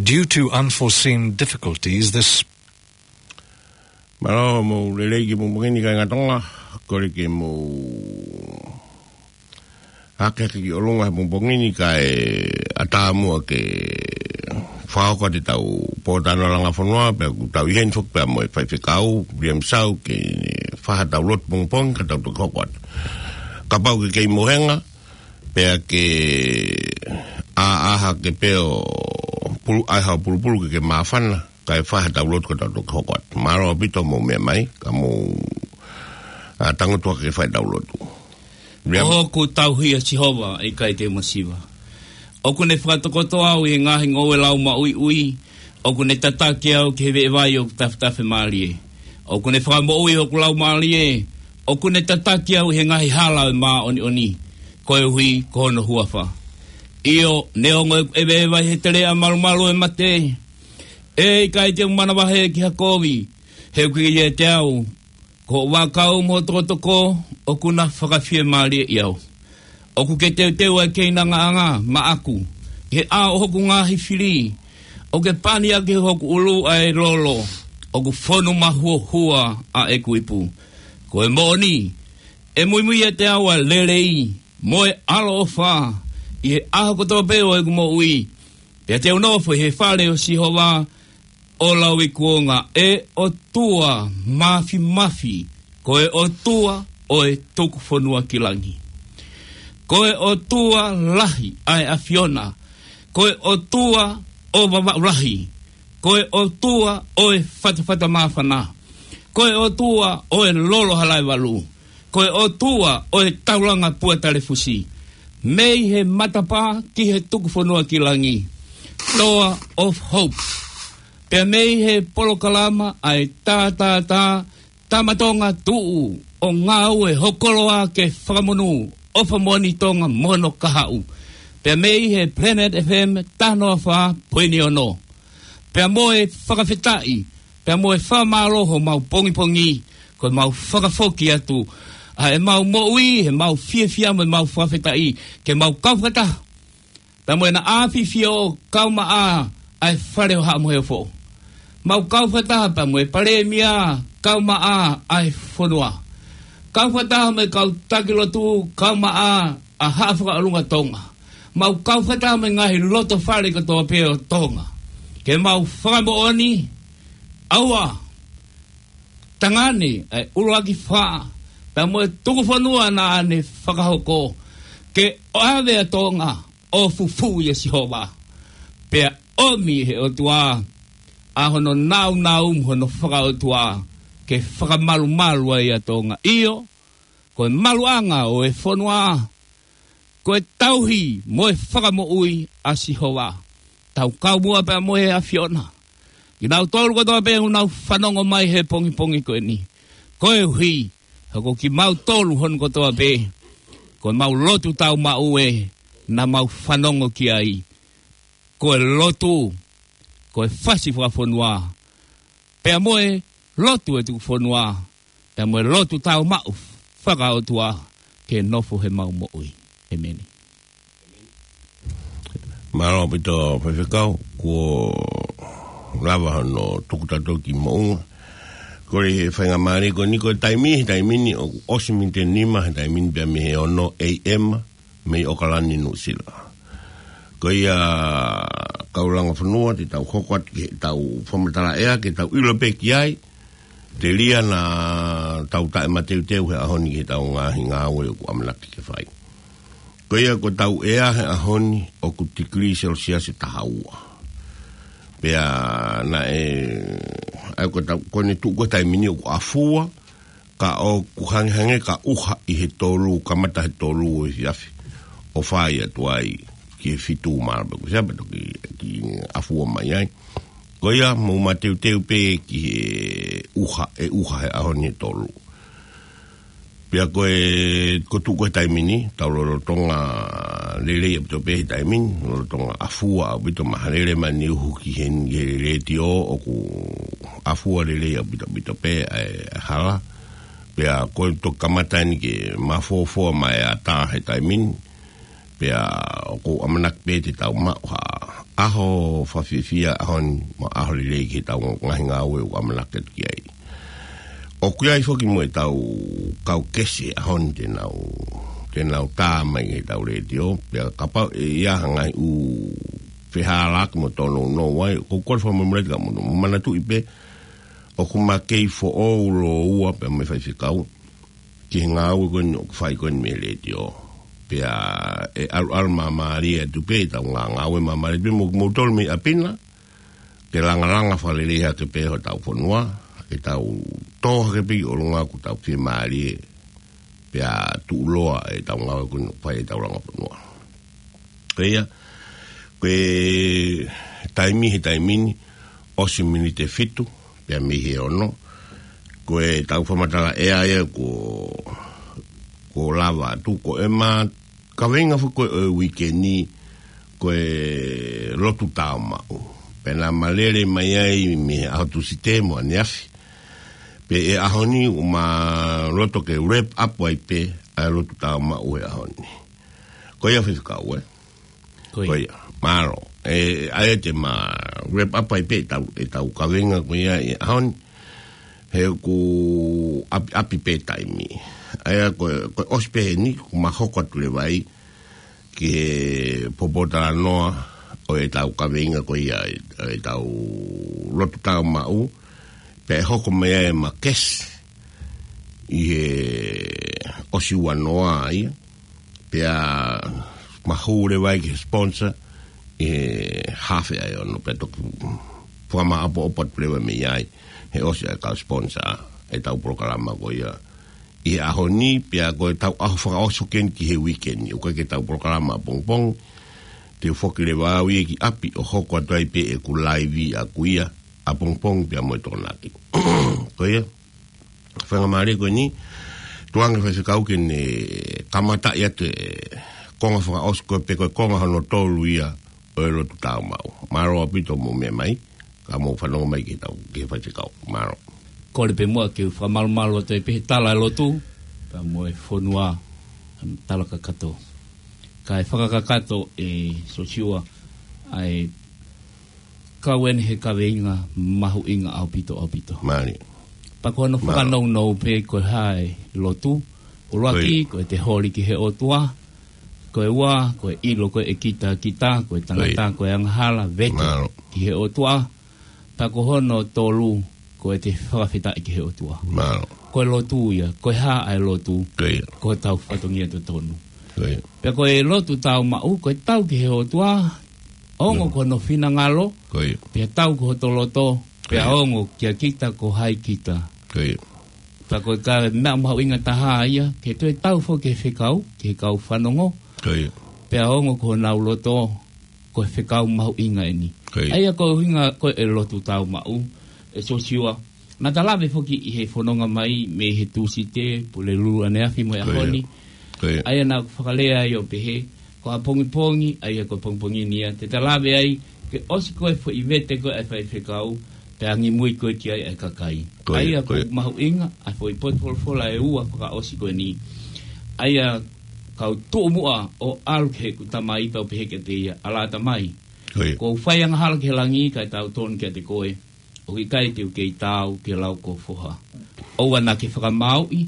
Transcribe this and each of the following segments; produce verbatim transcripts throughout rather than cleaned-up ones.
Due to unforeseen difficulties, this Mālō, mou lelei ki he pongipongi ni kāinga Tonga, kole ke mou hake hake ki ʻolunga he pongipongi ni kae ʻatā muʻa ke fakahoko atu ʻetau pōtalanoa langa fonua, pea ʻoku tau ʻi heni foki pea mo e faifekau, William Sau, ke fai haʻatau lotu pongipongi ka tau toki hoko atu. Kapau ʻoku ke kei mohenga, pea ke ʻā ʻā hake pē ʻo pulu, ʻai haʻo pulupulu ke ke māfana, kae fai haʻatau lotu ka tau toki hoko atu. Mālō ʻaupito mou meʻa mai, ka mou, ā, tangutu hake ke fai ʻetau lotu. Meʻa ʻOku tauhi ʻa Sihova, ʻe ʻikai te u masiva. ʻOku ne fakatokoto au ʻi he ngaahi ngoue lau maʻuiʻui, ʻoku ne tataki au ki he veʻe vai ʻoku tafetafe mālie. ʻOku ne fakamoʻui hoku laumālie, ʻoku ne tataki au ʻi he ngaahi hala ʻo e māʻoniʻoni, koeʻuhi ko hono huafa. ʻIo, neongo ʻeku ʻeveʻeva ʻi he teleʻa malumalu ʻo e mate, ʻe ʻikai te u manavahē ki ha kovi, he ʻoku ʻiate au, ko hoʻo vaʻakau mo hoʻo tokotoko, ʻoku na fakafiemālieʻi au. ʻOku ke teuteu ʻa e keinangaʻanga maʻaku, ʻi he ʻao ʻo hoku ngaahi fili, ʻoku ke pani ʻaki hoku ʻulu ʻa e lolo, ʻoku fonu mahuohua ʻa ʻeku ipu. Ko e moʻoni, ʻe muimui ʻiate au ʻa e lelei, mo e ʻaloʻofa, ʻi he ʻaho kotoa pē ʻo ʻeku moʻui, pea te u nofo ʻi he fale ʻo Sihova, ʻo lauikuonga, ʻe ʻOtua Māfimafi, ko e ʻOtua ʻo e tuku fonua ki langi. Ko e ʻOtua lahi ʻa e ʻAfiona, ko e ʻOtua ʻo Vavaʻu lahi, ko e ʻOtua ʻo e fatafata māfana, ko e ʻOtua ʻo e lolo halaevalu, ko e ʻOtua ʻo e taulanga pua talefusi, mei he matapā ki he tuku fonua ki langi. Toa of Hope. Pea mei he polokalama ʻa e Tātātā, Tama Tonga Tuʻu ʻo Ngāue Ho Koloa ke Fakamonū, ʻOfa Moʻoni Tonga mo hono kahaʻu. Pea mei he Planet F M taha noa fā poini ono. Pea mo e fakafetaʻi, pea mo e fakamālō homau pongipongi, ko ʻemau fakafoki atu ʻa ʻemau moʻui, ʻemau fiefia mo ʻemau fakafetaʻi, ke mau kau fakataha pea mo ʻEna ʻAfifio, kau maʻa ʻa e Fale ʻo Haʻa Moheofo. Mau kau fakataha pea mo e Palēmia, kau maʻa ʻa e fonua. Kau fakataha mo e kau taki lotu, kau maʻa ʻa Haʻa Fakaʻolunga Tonga. Mau kau fakataha mo e ngaahi loto fale kotoa pē ʻo Tonga, ke mau fakamoʻoni, ʻauha, tangane ʻa e ʻuluaki fā, pea mo e tuku fonua naʻa ne fakahoko, ke ʻave ʻa Tonga ʻo fufū ʻia Sihova, pea ʻomi ʻe he ʻOtua ʻa hono nāunau mo hono fakaʻotua, ke fakamalumalu ai ʻa Tonga. ʻIo, ko e maluʻanga ʻo e fonua, ko e tauhi mo e fakamoʻui ʻa Sihova. Tau kau muʻa pea mo e ʻAfiona, kinautolu kotoa pē ʻoku nau fanongo mai he pongipongi ko eni, koeʻuhi he ko kimautolu hono kotoa pē, ko ʻemau lotu tau maʻu ē naʻa mau fanongo ki ai. Ko e lotu, ko e fasi fakafonua, pea mo e lotu ʻa e tuku fonua, pea mo e lotu tau maʻu fakaʻotua, ke nofo heʻemau moʻui. ʻEmeni. Mālō ʻaupito faifekau, kuo lava hono tuku tautolu ki moʻunga. Kole he faingamālie ko eni, ko e taimi, he taimi ni ʻoku ʻosi miniti ʻe nima he taimi ni pea mei he ono A M, mei ʻOkalani, Nuʻusila. Ko ia, kau langa fonua, te tau hoko atu ki heʻetau fakamatala ʻea, ke tau ʻilo pē ki ai, telia naʻa tau taʻemateuteu he ʻaho ni ki heʻetau ngaahi ngāue ʻoku ʻamanaki ke fai. Ko ia, ko ʻetau ʻea he ʻaho ni ʻoku tikilī selesiasi ʻe taha ua. Pea naʻe, ʻa ia ko ʻetau, ko ʻene tuʻu ko e taimi ni ʻoku ʻafua, ka ʻoku hangehangē ka ʻuha ʻi he tolu, kamata he tolu ʻo e efiafi, ʻo fai atu ai ki he fitu mālō pē ko ē, sia pē toki ki ʻafua mai ai. Ko ia, mou mateuteu pē ki he ʻuha, ʻe ʻuha he ʻaho ni he tolu. Pea ko e, ko e tuʻu ko e taimi ni, tau lolotonga lelei ʻaupito pē he taimi ni, lolotonga ʻafua ʻaupito, mahalo lele mai ʻene uhu ki he, ki he letiō, ʻoku ʻafua lelei ʻaupito, ʻaupito pē ʻa e hala. Pea ko e toki kamata eni ke mafofoa mai ʻa e ʻatā he taimi ni. Pea ʻoku ou ʻamanaki pē te tau maʻu ha ʻaho fakafiefia ʻaho ni, mo e ʻaho lelei ki heʻetau ngaahi ngāue ʻoku ʻamanaki atu ki ai. ʻOku ʻi ai foki mo ʻetau kau kesi ʻaho ni te nau, te nau tā mai ki heʻetau letiō, pea kapau ʻe ʻi ai ha ngaahi ʻū fehālaaki mo tōnounou ai, ʻoku ou kole fakamolemole atu kiate kimoutolu. Mou manatuʻi pē, ʻoku ma kei foʻou lōua pea mo e faifekau ki he ngāue ko eni ʻoku fai ko eni mei he letiō. Pea ʻe ʻalu, ʻalu māmālie atu pē ʻetau ngā-, ngāue māmālie atu pē mo, mo kimoutolu mei ʻapi na, ke langalanga fakalelei hake pē hotau fonua, ke tau tō hake pē ki ʻolunga ʻoku tau fiemālie, pea tuʻuloa ʻetau ngāue ko eni ʻoku fai ʻetau langa fonua. Ko ia, ko e taimi he taimi ni, ʻosi miniti ʻe fitu, pea mei he ono, ko ʻetau fakamatala ʻea ia kuo, kuo lava atu, ko ʻema kaveinga foki ko ē ʻo e uike ni, ko e lotu tāumaʻu. Pea naʻa ma lele mai ai mei he ʻaho Tūsite mo ʻaneafi. Pea ʻi he ʻaho ni ʻoku ma loto ke wrap up ai pē ʻa e lotu tāumaʻu he ʻaho ni. Ko ia faifekau, ē? Ko ia. Ko ia. Mālō. ʻE, ʻa ia te ma wrap up ai pē ʻetau, ʻetau kaveinga ko ia ʻi he ʻaho ni. He ʻoku ʻapi, ʻapi pē taimi. ʻA ia ko, ko e ʻosi pē heni, ʻoku ma hoko atu leva ai ki he pōpōtalanoa ʻo ʻetau kaveinga ko ia, ʻetau lotu tāumaʻu, pea ʻe hoko mai ai ʻema kesi ʻi he ʻosi ua noa ia, pea ma hū leva ai ki he sponsor ʻi he haafe ʻa e ono, pea toki fakamāʻopoʻopo atu leva mei ai, he ʻosi ʻa e kau sponsor ʻetau polokalama ko ia ʻi he ʻaho ni, pea ko ʻetau ʻaho fakaʻosi ko eni ki he uike ni, ʻoku ʻikai ke tau polokalama ʻapongipongi, te u foki leva au ia ki ʻapi ʻo hoko atu ai pē ʻeku laivi ʻaku ia ʻapongipongi pea mo e Tokonaki. Ko ia, faingamālie ko eni, tuku ange faifekau ke ne kamataʻi atu e konga fakaʻosi ko ē pe ko e konga hono tolu ia ʻo e lotu tāumaʻu. Mālō ʻaupito hoʻomou meʻa mai, ka mou fanongo mai ki heʻetau, ki he faifekau. Mālō. Kole pē muʻa ke u fakamalumalu atu ai pē he tala e lotu, pea mo e fonua, tala kakato. Kae fakakakato ʻe Siosiua ʻa e kau eni he kaveinga mahuʻinga ʻaupito, ʻaupito. Mālie. Pea ko hono fakanounou pē ko e hā e lotu, ʻuluaki, ko e te holi ki he ʻOtua, ko e ua, ko e ʻilo, ko e kitakita, ko e tangata, ko e angahala, vete ki he ʻOtua, pea ko hono tolu, ko e te fakafetaʻi ki he ʻOtua. Mālō. Ko e lotu ia, ko e hā ʻa e lotu, ko hotau fatongia totonu. Pea ko e lotu tāumaʻu, ko e tau ki he ʻOtua, ongo ko hono finangalo, pea tau ko hoto loto, pea ongo kia kita ko hai kita. Pea ko e ka meʻa mahuʻinga taha ia, ke toe tau foki ki he fekau, ki he kau fanongo, pea ongo ko honau loto, ko e fekau mahuʻinga eni. ʻA ia ko e ʻuhinga ko e lotu tāumaʻu, ʻe Siosiua, naʻa ta lave foki ʻi he fononga mai mei he Tūsite, Pulelulu ʻaneafi mo e ʻaho ni. ʻA ia naʻa ku fakalea ai ʻo pehē, ko ʻapongipongi, ʻa ia ko e pongipongi ni ia, te ta lave ai, ke ʻosi ko e foʻi vete ko e ʻa e faifekau, pea angimui ko e ki ai ʻa e kakai. ʻA ia ko e mahuʻinga ʻa e foʻi potu folofola ʻe ua fakaʻosi ko eni. ʻA ia kau tuʻu muʻa ʻo ʻalu ki heʻeku tamai pea u pehē kiate ia, ʻAlā tamai, kuo u fai angahala ki he langi kae tautonu kiate koe, ʻoku ʻikai te u kei taau ki he lau ʻo ho foha. ʻOua naʻa ke fakamāuʻi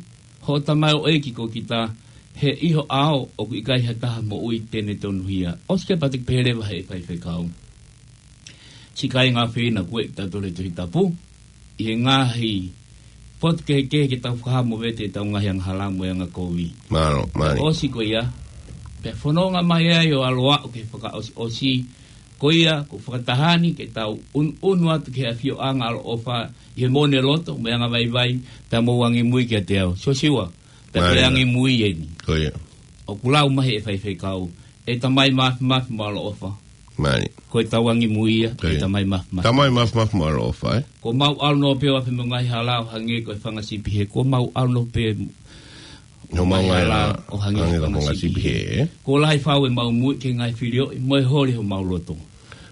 hoʻo tamaioʻeiki ko kita, he ʻi ho ʻao ʻoku ʻikai ha taha moʻui te ne tonuhia. ʻOsi ke patu pehē leva he faifekau. Siʻi kāinga ʻofeina, ko e tautolu he Tohi Tapu, ʻi he ngaahi potu kehekehe ke tau fakahā mo vete ʻetau ngaahi angahala mo e angakovi. Mālō, mālō. ʻOsi ko ia, pea fononga mai ai ʻo ʻalu ʻo aʻu ki he fakaʻosiʻosi, ko ia, ko e fakataha ni ke tau ʻunuʻunu atu ki he ʻafioʻanga ʻaloʻofa, ʻi he mone loto, mo e angavaivai, pea mou angimui kiate au. Siosiua, pea ko e angimui eni. Ko ia. ʻOku lau mai he faifekau, ʻe Tamai Māfimafi mo ʻaloʻofa. Mālie. Ko e tau angimui ia, ʻe Tamai Māfimafi. Tamai Māfimafi mo ʻaloʻofa, ē? Kuo mau ʻalu noa pē ʻo afe mo e ngaahi hala ʻo hangē ko e fanga sipi hē. Kuo mau ʻalu noa pē ʻi homau ngaahi hala ʻo hangē ko e fanga sipi hē, ē? Kuo lahi fau ʻemau muiʻi ki he ngaahi filioʻi, mo e holi homau loto.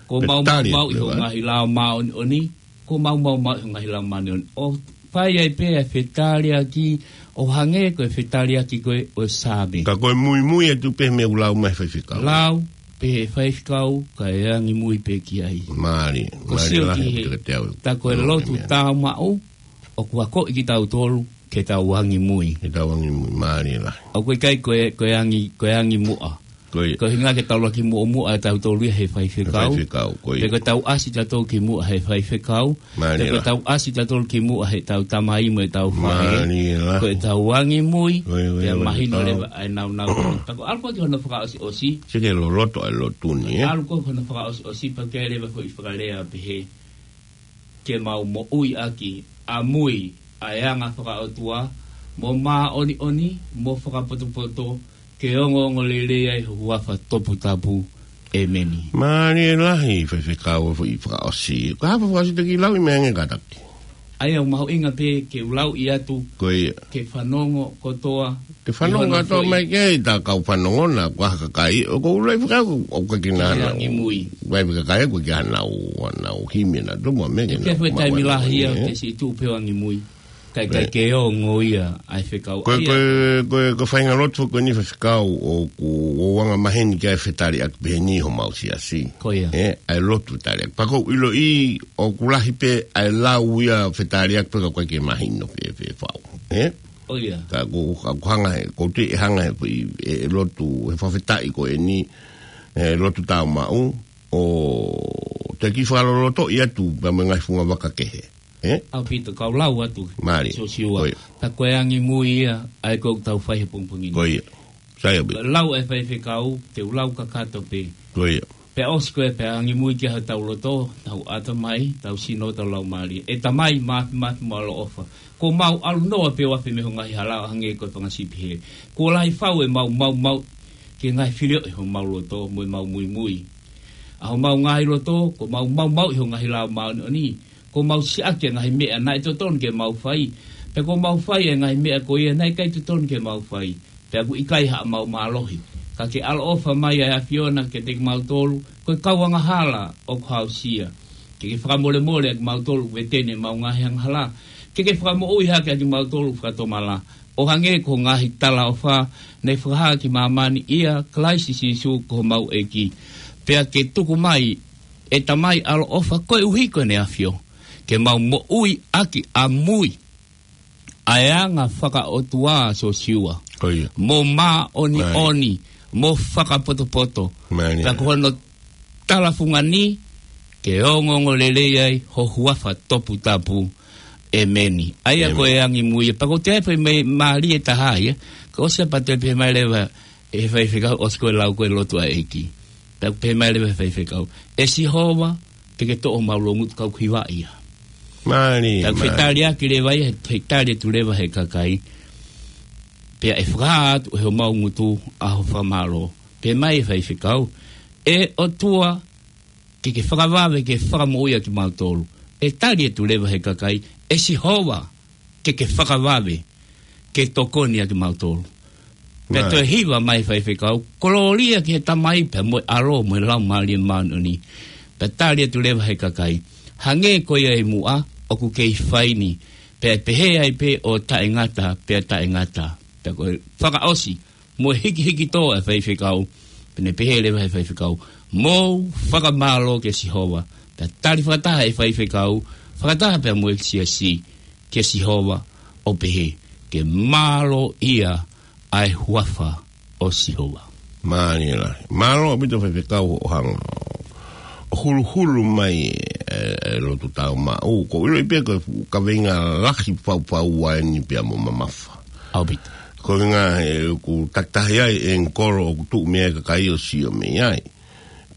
Kuo mau maumauʻi ho ngaahi lao māʻoniʻoni, kuo mau maumauʻi ho ngaahi lao māʻoniʻoni. ʻO Fai ai pē ʻa e fetaliʻaki ʻo hangē ko e fetaliʻaki ko ē ʻo e Saame. Ka ko e muimui atu pē mei he lau mai faifekau. Lau pē ʻe he faifekau, ka e angimui pē ki ai. Mālie, ko mālie sio lahi ki he, ʻaupito kiate au. Tā ko e lotu tāumaʻu, ʻoku akoʻi kitautolu ke tau angimui. Ke tau angimui, mālie lahi. ʻOku ʻikai ko e, ko e angi, ko e angimuʻa. Ko ia. Ko e ʻuhinga ke tau laka ki muʻomuʻa ʻa tautolu ia he faifekau. He faifekau, ko ia. Pe ko e tau ʻasi tautolu ki muʻa he faifekau. Mālie lahi. Pe ko e tau ʻasi tautolu ki muʻa he tau tamai mo e tau faʻē. Mālie lahi. Ko e tau angimui, ko ia, ko ia, pea mahino leva ʻa e nāunau. Pea ko e ʻalu ko ē ki hono fakaʻosiʻosi. Sio ki he loloto ʻa e lotu ni, ē? ʻAlu ko ē ki hono fakaʻosiʻosi, pea ʻoku ʻi ai leva e foʻi fakalea ʻo pehē: Ke mau moʻui ʻaki ʻamui ʻa e anga fakaʻotua, mo māʻoniʻoni, mo fakapotopoto, ke ongoongolelei ai ho huafa toputapu. ʻĒmeni. Mālie lahi faifekau e foʻi fakaʻosi. Ko e hā e foʻi fakaʻosi te ke lau ʻi meʻa ange kātaki? ʻA ia ʻoku mahuʻinga pē ke u lauʻi atu, ko ia, ke fanongo kotoa. Ke fanongo kotoa mai ke ta kau fanongo na, ko e hā e kakai, ʻoku ou lau faifekau, ʻoku ʻikai ke nau, ke angimui. Vai pe kakai ʻoku ʻikai ke nau, nau himi na, tō mo e meʻa ke nau, ke fai taimi lahi ia, ke siʻi tuʻu pē ʻo angimui. Kae, kae ke ongo ia ʻa e fekau. Ko e, ko e, ko e, ko e faʻahinga lotu ko eni faifekau ʻoku ou anga maheni ki ai e fetaliʻaki pehē ni homau siasi. Ko ia. Ē, ʻa e lotu fetaliʻaki. Pea ʻoku ou ʻiloʻi ʻoku lahi pē ʻa e lau ia fetaliʻaki pea ʻoku ʻikai ke mahino pē, pē fau. Ē? ʻO ia. Ka ʻoku, ka ʻoku hanga he, ʻoku ou tui ʻe hanga he, ʻe, ʻe lotu, he fakafetaʻi ko eni, ʻe lotu tāumaʻu, ʻo te ke fakalolotoʻi atu pea mo e ngaahi fungavaka kehe. Ē? ʻAupito, kau lau atu. Mālie. Siosiua. Ko ia. Pea ko e angimui ia ʻa ia ʻoku tau fai he pongipongi ni. Ko ia. Sai ʻaupito. Lau ʻa e faifekau, te u lau kakato pē. Ko ia. Pea ʻosi ko ē pea angimui ki ai hotau loto, hotau ʻatamai, hotau sino, hotau laumālie. ʻE Tamai Māfimafi mo ʻaloʻofa, kuo mau ʻalu noa pē ʻo afe mei ho ngaahi hala ʻo hangē ko e fanga sipi hē. Kuo lahi fau ʻemau maumauʻi ki he ngaahi filioʻi homau loto mo ʻemau muimui. ʻA homau ngaahi loto, kuo mau maumauʻi ho ngaahi lao māʻoniʻoni. Kuo mau siʻaki ʻa e ngaahi meʻa naʻe totonu ke mau fai, pea kuo mau fai ʻa e ngaahi meʻa ko ia naʻe ʻikai totonu ke mau fai. Pea ʻoku ʻikai haʻamau mālohi. Ka ke ʻaloʻofa mai ʻa e ʻAfiona kiate kimautolu, ko e kau angahala ʻoku hausia. Ke ke fakamolemoleʻi ʻa kimautolu, veteni ʻemau ngaahi angahala. Ke ke fakamoʻui hake ʻa kimautolu fakatomala, ʻo hangē ko e ngaahi talaʻofa naʻe fakahā ki māmani ʻia Kalaisi Sīsū ko homau ʻEiki. Pea ke tuku mai ʻe Tamai ʻaloʻofa koeʻuhi ko ʻEne ʻAfio, ke mau moʻui ʻaki ʻamui ʻa e anga fakaʻotua, Siosiua. Ko ia. Mo māʻoniʻoni, mo fakapotopoto. Mālie. Pea ko hono talafunga ni, ke ongoongolelei ai ho huafa toputapu. ʻĒmeni. ʻA ia ko e angimui ia. Pea ko e toe pē meʻa mālie ʻe taha ia. Ko e ʻosi pea toe pehē mai leva ʻe he faifekau, ʻosi ko e lau ko ē lotu ʻa e ʻEiki. Pea pehē mai leva ʻe he faifekau: ʻE Sihova, ke ke toʻo homau loungutu, ka ʻoku hiva ia. Mālie, mālie. Pea fetaliʻaki leva ia, he, he tali atu leva ʻe he kakai. Pea ʻe fakahā atu ʻe homau ngutu ʻa ho fakamālō. Pehē mai ʻe he faifekau: ʻE ʻOtua, ke ke fakavave ke fakamoʻui ʻa kimautolu. ʻE tali atu leva ʻe he kakai: ʻE Sihova, ke ke fakavave ke tokoni ʻa kimautolu. Pea toe hiva mai ʻe he faifekau: Kolōlia ki he Tamai pea mo e ʻAlo mo e Laumālie Māʻoniʻoni. Pea tali atu leva ʻe he kakai: Hangē ko ia ʻi muʻa, ʻoku kei fai ni, pea ʻe pehē ai pē ʻo taʻengata pea taʻengata. Pea ko e fakaʻosi mo e hikihiki tō ʻa e faifekau, pea ne pehē leva ʻe he faifekau: Mou fakamālō kia Sihova. Pea tali fakataha ʻe he faifekau, fakataha pea mo e siasi, kia Sihova, ʻo pehē: Ke mālō ia ʻa e huafa ʻo Sihova. Mālie lahi. Mālō ʻaupito faifekau hoʻo hanga ʻo huluhulu mai e, e lotu tāumaʻu. ʻOku ou ʻiloʻi pē ko e fuʻu kaveinga lahi fau fau eni pea mo mamafa. ʻAupito. Ko e ʻuhinga he ʻoku takitaha ai e ngaahi kolo ʻoku tuʻu mei ai e kakai ʻo sio mei ai.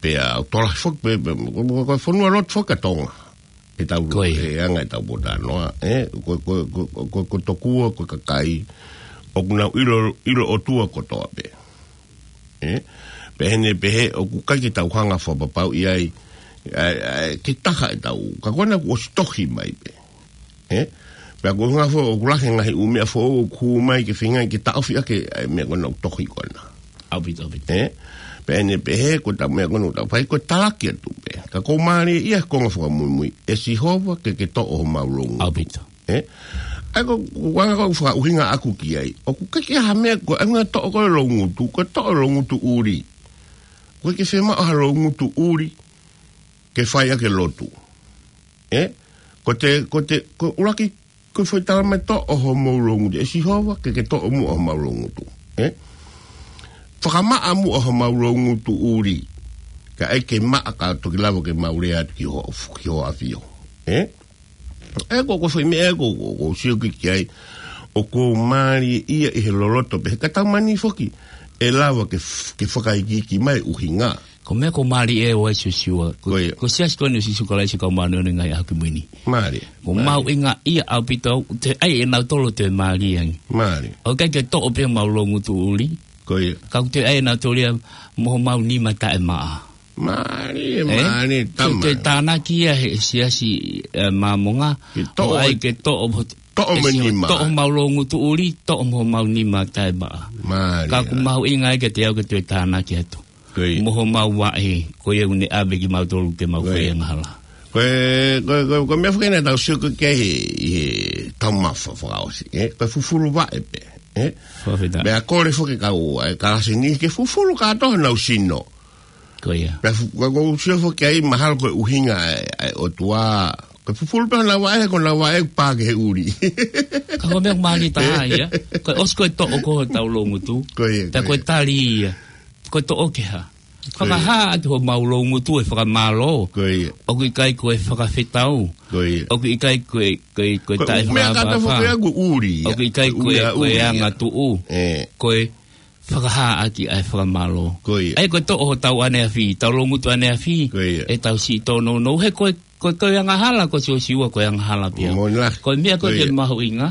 Pea ʻoku tokolahi foki pē, pē, ko, ko, ko e fonua lotu foki ʻa Tonga. ʻEtau, ko ia, e anga ʻetau potanoa, ē, ko, ko, ko, ko, ko tokua, ko e kakai ʻoku nau ʻilo, ʻilo ʻOtua kotoa pē. Ē? Pea ʻi heʻene pehē ʻoku ʻikai ke tau hanga fakapapauʻi ai, ʻa e, ʻa e, ke taha ʻetau, ka ko ena kuo ʻosi tohi mai pē. Ē? Pea ko e ʻuhinga foki ʻoku lahi e ngaahi ʻū meʻa foʻou ʻoku hū mai ke feinga ke taʻofi ʻaki ʻa e meʻa ko ena ʻoku tohi ko ena. ʻAupito, ʻaupito. Ē? Pea ʻi heʻene pehē ko ʻetau meʻa ko ena ʻoku tau fai ko e talaki atu pē. Ka ʻoku mālie ia he konga fakamuimui. ʻE Sihova, ke ke toʻo homau loungutu. ʻAupito. Ē? ʻA ia ko, ko anga ko e fakaʻuhinga ʻaku ki ai. ʻOku ʻikai ke ʻi ai ha meʻa ko e anga toʻo ko e loungutu, ko e toʻo loungutu ʻuli. ʻOku ʻikai ke fiemaʻu ha loungutu ʻuli ke fai ʻaki e lotu. Ē? Ko te, ko te, ko e ʻuluaki, ko e foʻi tala mai toʻo homou loungutu. ʻE Sihova, ke ke toʻo muʻa homau loungutu. Ē? Fakamaʻa muʻa homau loungutu ʻuli. Kae ʻai ke maʻa ka toki lava ke mau lea atu ki ho, ki ho ʻafio. Ē? ʻA ia ko, ko e foʻi meʻa ko, ko, ko sio ki, ki ai, ʻoku mālie ia ʻi he loloto pē, he ka tau mani foki, ʻe lava ke f-, ke fakaikiiki mai ʻuhinga. Ko e meʻa ko e mālie ʻo e Siosiua. Ko, ko ia. Ko e siasi ko eni ʻo Sīsū Kalaisi ʻo e Kau Māʻoniʻoni ʻi he Ngaahi ʻAho Kimui ni. Mālie. Ko e mālie. Mahuʻinga ia ʻaupito, te ai e nau tolo te mālie ange. Mālie. ʻOku ʻikai ke toʻo pē homau loungutu ʻuli. Ko ia. Ka ʻoku te ai e nau tolo ia mo homau nima taʻemaʻa. Mālie, ē? Mālie, te, te tama. Tānaki ia he siasi, ē, Māmonga. Ke toʻo ʻOku ʻai ke toʻo mo, toʻo ʻe mo e Sihova, nima. Toʻo homau loungutu ʻuli, toʻo mo homau nima taʻemaʻa. Mālie. Ka ʻoku mahuʻinga ai kiate au ke te tānaki atu. Ko ia. Mo homau vaʻe, ko ia ʻoku ne ʻave kimautolu ke mau fai angahala. Ko e, ko e, ko e, ko e meʻa foki naʻa tau sio ki ai he, he taumafa fakaʻosi, ē? Ko e fufulu vaʻe pē, ē? Fakafetaʻi. Meʻa kole foki kau, ē, kalasi ni ke fufulu kātoa honau sino. Ko ia. Pea fu-, ka ʻoku ou sio foki ai mahalo ko e ʻuhinga ʻa e, ʻa e ʻOtua. Ko e fufulu pē honau vaʻe, ko honau vaʻe pā ki he ʻuli. Ka ko e meʻa mālie taha ia. Ko e ʻosi ko e toʻo ko hotau loungutu. Ko ia, pea ko ko e ia. Tali ia. Ko e toʻo ke hā. Ko ia. Fakahā atu homau loungutu e fakamālō. Ko ia. ʻOku ʻikai ko e fakafetau. Ko ia. ʻOku ʻikai ko e, ko e, ko e Ko e taʻe meʻa kātoa fakafā. Foki ʻoku ʻuli ia. ʻOku ʻikai ko e, ʻUli ia, ko e ʻuli ia. Anga tuʻu. Ē. Ko e fakahā ʻaki ʻa e fakamālō. Ko ia. ʻA ia ko e toʻo hotau ʻaneafi, tau loungutu ʻaneafi, ko ia. ʻEtau siʻi tōnounou, he ko e, ko e, ko e angahala, ko Siosiua, ko e angahala pē ia. Mo lahi. Ko e meʻa ko ē ke mahuʻinga,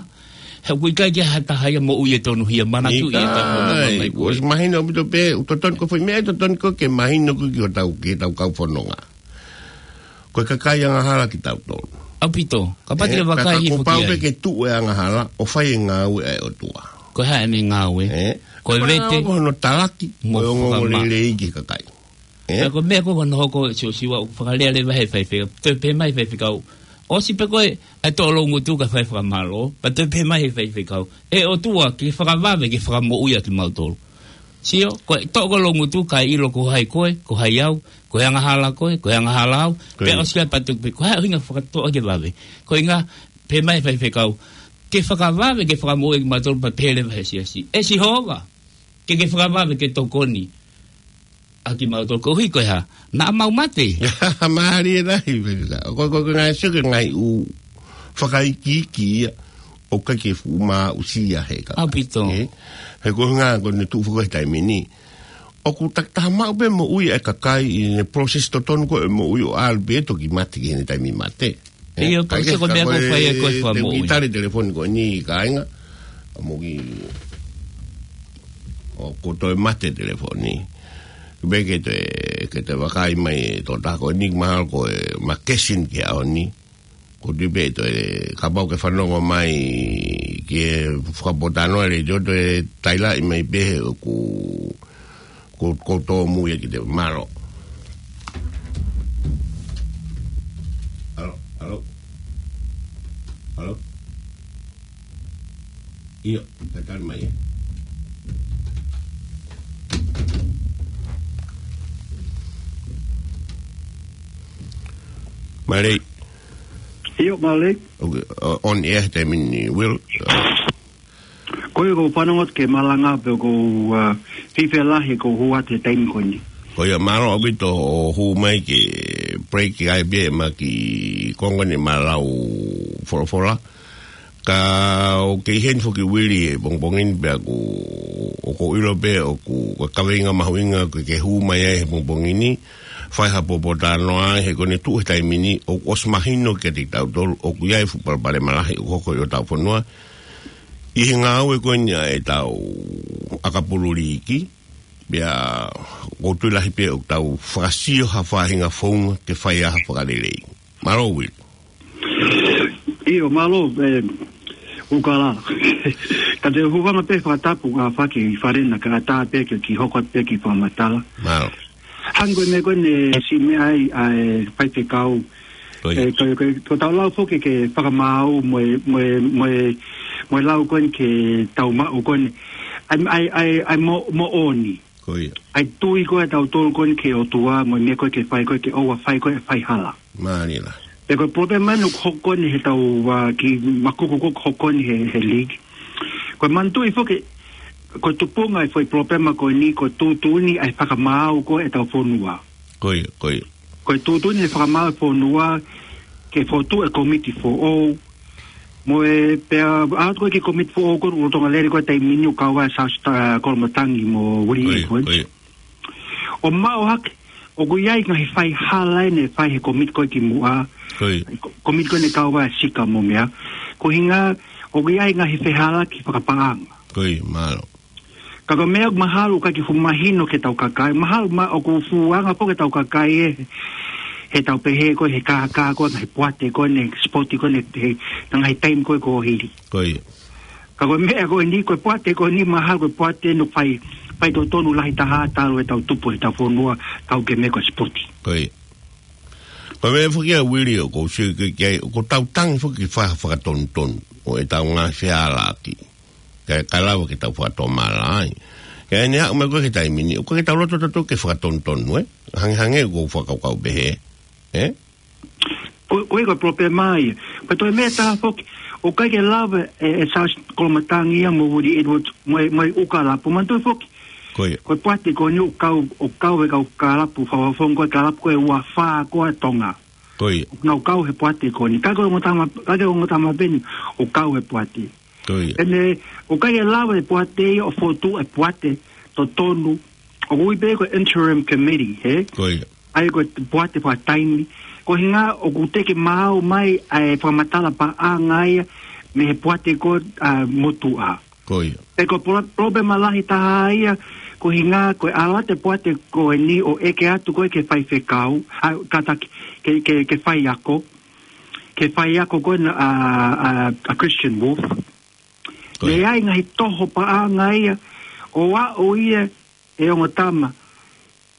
he ʻoku ʻikai ke ʻi ai ha taha ia moʻui ʻe tonuhia, manatuʻi ʻetau ʻIkai, ʻosi mahino ʻaupito pē, ʻoku totonu ko e foʻi meʻa ʻe totonu ko ē ke mahino ko ē ki hotau, ki hotau kau fononga. Ko e kakai angahala kitautolu. ʻAupito, kapau te Ē, vakai ka hifo kuo pau ki ai. Pē ke tuʻu e angahala, ʻo fai e ngāue ʻa e ʻOtua. Ko e hā ʻene ngāue? Ē, Ko e ka vete. Ko hono talaki, mo ko e ongoongo fakamaʻa. Lelei ki he kakai. Ē? Ka ko e meʻa ko ē ʻoku nau hoko Siosiua ʻoku fakalea leva he faifekau. Toe pehē mai faifekau. ʻOsi pē ko ē, ʻa e toʻo loungutu kae fai fakamālō. Pea toe pehē mai he faifekau. ʻE ʻOtua, ke fakavave, ke fakamoʻui ʻa kimautolu. Sio, ko e toʻo ko e loungutu, kae ʻilo ko hai koe, ko hai au, ko e angahala koe, ko e angahala au. Ko ia. Pea ʻosi ia patu pē, ko hai ʻuhinga fakatoʻo ke vave. Ko e ʻuhinga, pehē mai faifekau. Ke fakavave, ke fakamoʻui kimautolu pea pehē leva he siasi. ʻE Sihova, ke ke fakavave, ke tokoni ʻa kimautolu koeʻuhi ko e hā. Naʻa mau mate. Mālie lahi, Pita. Ko, ko, ko e ngaahi sio ki he ngaahi ʻū fakaikiiki ia ʻoku ʻikai ke fuʻu maʻusia he kakai. ʻAupito. Ē? He ko e ʻuhinga ko ʻene tuʻu foki he taimi ni. ʻOku takitaha maʻu pē moʻui ʻa e kakai ʻi he process totonu ko ē moʻui ʻo ʻalu pē toki mate ki heʻene taimi mate. Ē, ʻio, ka ko e ke ko e meʻa ka ko e ko e fai ʻe ko e te fakamoʻui. Ki tali telefoni ko eni kāinga. Ka mo ki ʻoku toe mate telefoni. Pea ke te, ke te vakai mai tō tā ko eni mahalo ko e makesin ke aoni. Ko te pē toe kapau ke fanongo mai ke fakapotano e leitiō toe tailaʻi mai pē he ʻoku Ko, ko tō mui ki te mālō. ʻAlo, ʻalo. ʻAlo. ʻIo, ka tali mai ē. Mālie. ʻIo, mālie. Okay, uh, on air, taimi ni, Will. Uh, Ko ia ʻoku ou fanongo atu ki he malanga pea ʻoku ou, uh, fifelahi ʻeku hū atu he taimi ko eni. Ko ia mālō ʻaupito hoʻo hū mai ki he break ʻa e pē ma ki konga ni ma lau folofola. Ka ʻoku kei heni foki Vili he pongipongi ni pea ʻoku, ʻoku ou ʻilo pē ʻoku, ko e kaveinga mahuʻinga ʻoku ke hū mai ai he pongipongi ni, fai ha poupou talanoa he ko ʻene tuʻu he taimi ni, ʻoku ʻosi mahino kiate kitautolu, ʻoku ʻi ai e fuʻu palopalema lahi ʻoku hoko ʻi hotau fonua, ʻi he ngāue ko eni ʻa ʻetau ʻakapulu liiki, pea ʻoku ou tui lahi pē ʻoku tau fakasio ha faʻahinga founga ke fai ai ha fakalelei. Mālō, Will. ʻIo, mālō, ē, ʻUkala. Ka te u hūfanga pē fakatapu ka faki i fale na ka tā pē ke ki hoko pē ki fakamatala. Mālō. Hangē ko e meʻa ko eni ʻoku siʻi meʻa ai ʻa e faifekau Ko ia. E, ko, ko, ko tau lau foki ke fakamaau mo e, mo e, mo e, mo e lau ko eni ke tau maʻu ko eni. ʻAi, ʻai, ʻai, ʻai mo, moʻoni. Ko ia. ʻAi tui ko ē ʻa tautolu ko eni ki he ʻOtua mo e meʻa ko ē ke fai ko ē ke ʻoua fai ko ē faihala. Mālie lā. Pea ko e problema ʻoku hoko ko eni he tau, ʻa, kiʻi makuku ko ē ʻoku hoko ko eni he, he league. Ko e manatuʻi foki, ko e tupunga e foʻi problema ko eni, ko e tuʻutuʻuni ʻa e fakamaau ko ē ʻetau fonua. Ko ia, ko ia. Ko e tuʻutuʻuni e fakamaau e fonua, ke fotu e komiti foʻou. Mo e pea, ʻa atu ko ē ki he komiti foʻou ko ē, ʻoku lolotonga lele ko ē he taimi ni ʻo kau ai ʻa Sāsita Kolomatangi mo Willie Edwards. Ko ia, ko ia. ʻO maʻu hake, ʻoku ʻi ai e ngaahi faihala ʻe ne fai he komiti ko ē kimuʻa. Ko ia. Ko-, komiti ko ē ne kau ai ʻa Sika mo meʻa. Ko e ʻuhinga, ʻoku ʻi ai e ngaahi fehālaaki fakapaʻanga. Ko ia, mālō. Ka ko e meʻa ʻoku mahalo ʻoku ʻikai ke fuʻu mahino ki heʻetau kakai. Mahalo ma-, ʻoku fuʻu anga foki ʻetau kakai ē, he tau pehē ko ē he kākā ko ē, he poate ko ē, he sipoti ko ē, he, he ngaahi taimi ko ē kuo hili. Ko ia. Ka ko e meʻa ko eni, ko e poate ko eni mahalo ko e poate ʻoku fai, faitotonu lahi taha talu ʻetau tupu ʻetau fonua, kau ki he meʻa ko e sipoti. Ko ia. Ko e meʻa foki ia Willie ʻoku ou sio ki ai, ʻoku tau tangi foki ki he fai fakatonutonu ʻo ʻetau ngaahi fehālaaki. Kae, kae lava ke tau fakatomala ai. Ka ʻi heʻene aʻu mai ko ē ki he taimi ni, ʻoku ʻikai ke tau loto tautolu ke fakatonutonu, ē? Hangehangē ʻoku ou fakakaukau pehē, ē? Ko, ko e ko e problema ia. Pea toe meʻa ʻe taha foki, ʻoku ʻikai ke lava ʻe, ʻe Sāsita Kolomatangi ia mo Willie Edwards, mo e, mo e ʻū kālapu, manatuʻi foki. Ko ia. Ko e poate ko eni ʻoku kau, ʻoku kau e kau kālapu, fakafofonga ko ē kālapu ko ē ua fā ko ē ʻa Tonga. Ko ia. ʻOku nau kau he poate ko eni. ʻIkai ko e ongo tama, ʻikai ko e ongo tama pē eni ʻoku kau he poate. Ko ia. ʻEne, ʻoku ʻikai ke lava e poate ia ʻo fotu e poate totonu. ʻOku ui pē ko e interim committee, hē? Ko ia. ʻAi ko e poate fakataimi. Ko e ʻuhinga ʻoku teʻeki maau mai ʻa e fakamatala paʻanga ia mei he poate ko ē, ʻa, motuʻa. Ko ia. Pea ko e pro-, problema lahi taha ia, ko e ʻuhinga ko e ʻalu atu e poate ko eni ʻo ʻeke atu ko ē ki he faifekau, ʻa, kātaki, ki he, ki he, ki he faiako, ki he faiako ko ē ʻa, ʻa, ʻa Christian Wolf. Ko ia. Naʻe ʻi ai e ngaahi toho paʻanga ia, ʻo aʻu ia ʻe ongo tama,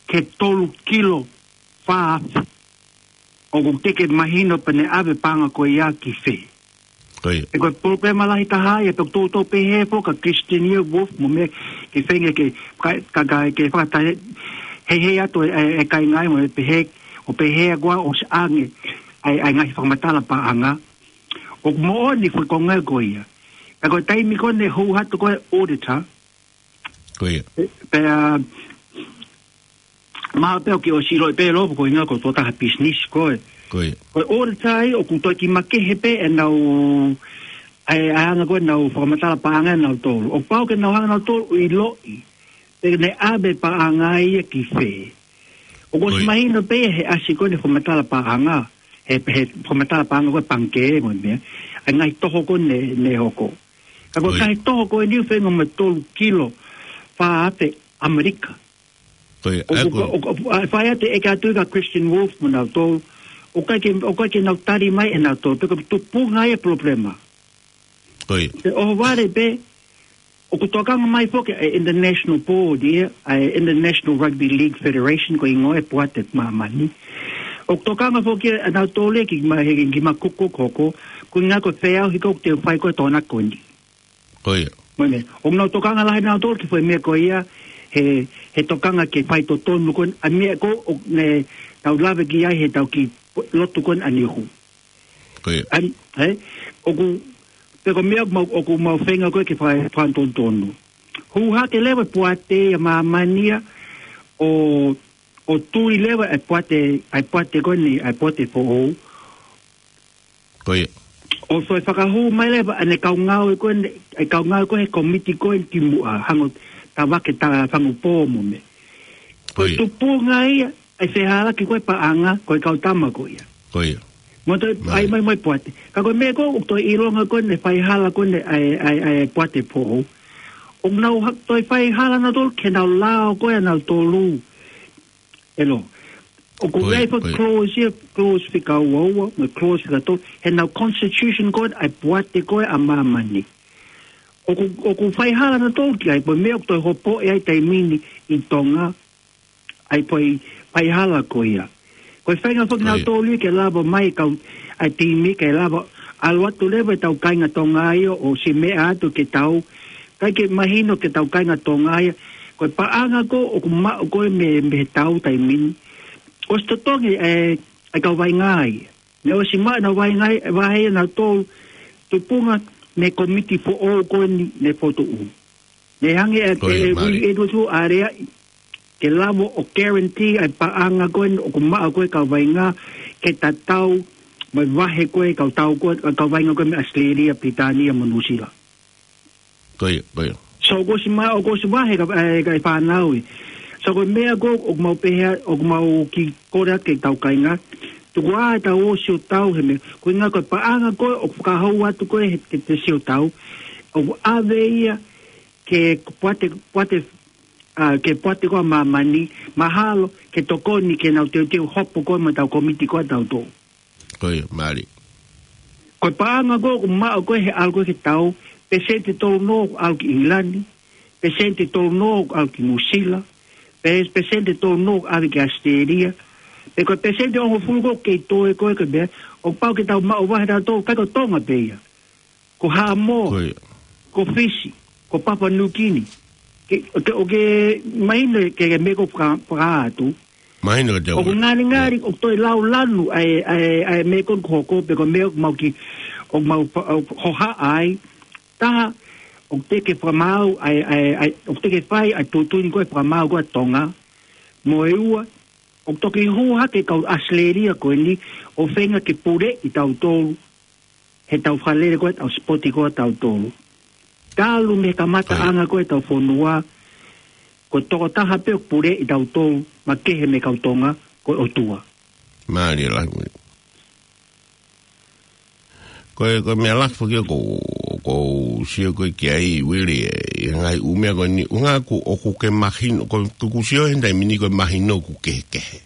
ki he tolu kilo fā afe. ʻOku teʻeki mahino pe naʻe ʻave e paʻanga ko ia ki fē. Ko ia. Pea ko e problema lahi taha ia, pea ʻoku toutou pehē foki ʻa Christian ia Wolf mo meʻa ke feinga ke, ka, ka, ka, ke fakatahe, heihei atu e, e, e kāinga ia mo e pehē, ʻo pehē ʻa koā ʻosi ʻange ʻa e, ʻa e ngaahi fakamatala paʻanga. ʻOku moʻoni e foʻi konga ko ia. Pea ko e taimi ko ē naʻe hū atu ko ē auditor, Ko ia. Pea, mahalo pē ʻoku ke ʻosi ʻilo pē Lō, ko e ʻuhinga ko e tokotaha business koe. Ko ia. Ko e auditor ia ʻoku toe kiʻi makehe pē ʻenau, ʻa e, ʻa e anga ko ē ʻenau fakamatala paʻanga ʻanautolu. ʻOku pau ke nau hanga ʻe nautolu ʻo ʻiloʻi pe naʻe ʻave e paʻanga ia ki fē. ʻOku ʻosi Ko ia. mahino pē he ʻasi ko ē ʻene fakamatala paʻanga. He, he fakamatala paʻanga ko ē pangikē mo e meʻa. ʻA e ngaahi toho ko ē naʻe, naʻe hoko. Ka ko e Ko ia. ngaahi toho ko eni ʻoku feinga mo e tolu kilo fā afe ʻAmelika. Ko ia, ʻOku, ʻa ko ʻoku, ʻoku, ʻa, fai atu e ʻeke atu kia Christian Wolf mo nautolu. ʻOku ʻikai ke, ʻoku ʻikai ke nau tali mai ʻe nautolu. Pea ko e tupunga ia e problema. Ko ia. Pea ʻohovale pē, ʻoku tokanga mai foki ʻa e International Board ia, ʻa e International Rugby League Federation ko e hingoa e poate ʻa māmani. ʻOku tokanga foki ʻa nautolu ia ki ma, he, ki ma kuku koko, ko e ʻuhinga ko e feʻauhi ko ē ʻoku teu fai ko ē ʻi Tonga ko eni. Ko ia. Mo e meʻa, ʻoku nau tokanga lahi nautolu ki he foʻi meʻa ko ia, he, he tokanga ke faitotonu ko ē, ʻa e meʻa ko ē, ʻoku ne, tau lave ki ai he tau kiʻi lotu ko ē ʻa Niuhu. Ko ia. ʻAi, ē? ʻOku, pea ko e meʻa ʻoku mau, ʻoku mau feinga ko ē ke fai, fakatonutonu. Hū hake leva e poate ia ʻa māmani ia, ʻo, ʻo tui leva e poate, ʻa e poate ko eni, ʻa e poate foʻou. Ko ia. ʻO toe fakahū mai leva ʻene kau ngāue ko eni, e kau ngāue ko ē he komiti ko eni kimuʻa, hangē ko e tavake ta fangu pō mo e meʻa. Ko Ko e ia. tupunga ia, ʻa e fehālaaki ko ē paʻanga, ko e kau tama ko ia. Ko ia. Mo toe Mai. ʻai mai mo e poate. Ka ko e meʻa ko ē, ʻoku toe ʻilonga ko ē ʻene faihala ko ē ʻa e, ʻa e, ʻa e poate foʻou. ʻOku nau ha-, toe faihala nautolu, ke nau lao ko ē ʻa nautolu. ʻE Lō. ʻOku Ko ia, ʻi ai e foʻi ko ia. clause ia, clause fika ua ua, mo e clause fika tolu, he ʻenau constitution ko ē, ʻa e poate ko ē ʻa māmani. ʻOku, ʻoku faihala nautolu ki ai, pea ko e meʻa ʻoku toe hopo ai ʻa e taimi ni ʻi Tonga, ʻa e foʻi faihala ko ia. Ko e feinga foki ʻa nautolu ia ke lava mai kau ʻa e timi ke lava ʻalu atu leva ʻetau kāinga Tonga ia ʻo ʻosi meʻa atu ke tau. ʻIkai ke mahino ke tau kāinga Tonga ia. Ko e paʻanga ko ē ʻoku maʻu ko ē mei, mei he tau taimi ni. ʻOsi totongi e, e kau vaʻinga ia. Naʻe ʻosi maʻu ʻenau vaʻinga ia, vahe ia nautolu tupunga mei he komiti foʻou ko eni ne fotu u. Ne hangē e, e, e, ui e tutu area ke lava ʻo guarantee ʻa e paʻanga ko ē ʻoku maʻu ko ē kau vaʻinga ke tatau mo e vahe ko ē kau tau ko ē, kau vaʻinga ko ē mei ʻAositelēlia, Pilitānia mo Nuʻusila. Ko ia, ko ia. So, ʻoku ʻosi ma-, ʻoku ʻosi vahe ka, e, ka e fānau ē. So, ko e meʻa ko ē ʻoku mau pehē, ʻoku mau kiʻi kole atu ki he tau kāinga. Tuku ā ʻetau ʻosi ʻo tau he meʻa. Ko e ʻuhinga ko e paʻanga ko ē ʻoku fakahou atu ko ē he, ke te sio tau. ʻOku ʻave ia ke poate, poate, ʻa, ke poate ko ē ʻa māmani, mahalo, ke tokoni ke nau teuteu hopo ko ē mo ʻetau komiti ko ē ʻatautolu. Ko ia, mālie. Ko e paʻanga ko ē ʻoku maʻu ko ē he ʻalu ko ē ki he tau, peseti tolu noa ʻoku ʻalu ki ʻIngilani, peseti tolu noa ʻoku ʻalu ki Nuʻusila, pe-, peseti tolu noa ʻoku ʻalu ki ʻAositelēlia, pe ko e peseti hongofulu ko ē kei toe ko ē ko e meʻa, ʻoku pau ke tau maʻu vahe ʻatautolu, ʻikai ko Tonga pē ia. Ko Haʻamoa, ko ia, ko Fisi, ko Papua Niu Kini. Ke, ke, ʻoku ke mahino ke, ke meʻa ko ē faka-, fakaatu. Mahino ke te ʻoku ngalingali, ʻoku toe lau lanu ʻa e, ʻa e, ʻa e meʻa ko ē ʻoku hoko, pe ko e meʻa ʻoku mau kiʻi, ʻoku mau fa-, ʻo hohaʻa ai. Taha, ʻoku teʻeki ke fakamaau ʻa e, ʻa e, ʻa e, ʻoku teʻeki ke fai ʻa e tuʻutuʻuni ko ē fakamaau ko ē ʻa Tonga. Mo e ua, ʻoku toki hū hake kau ʻAositelēlia ko eni, ʻo feinga ke puleʻi tautolu he tau fakalele ko ē ʻetau sipoti ko ē ʻatautolu. Talu mei he kamataʻanga ko ē ʻetau fonua, ko e tokotaha pē ʻoku puleʻi tautolu, makehe mei he kau Tonga, ko e ʻOtua. Mālie lahi, Uili. Ko e, ko e meʻa lahi foki ʻoku, ʻoku ou sio ko ē ki ai, Uili, ʻi he ngaahi ʻū meʻa ko eni, ʻuhinga ʻoku, ʻoku ke mahino, ko, ʻoku ou sio he taimi ni ko e mahino ʻoku kehekehe.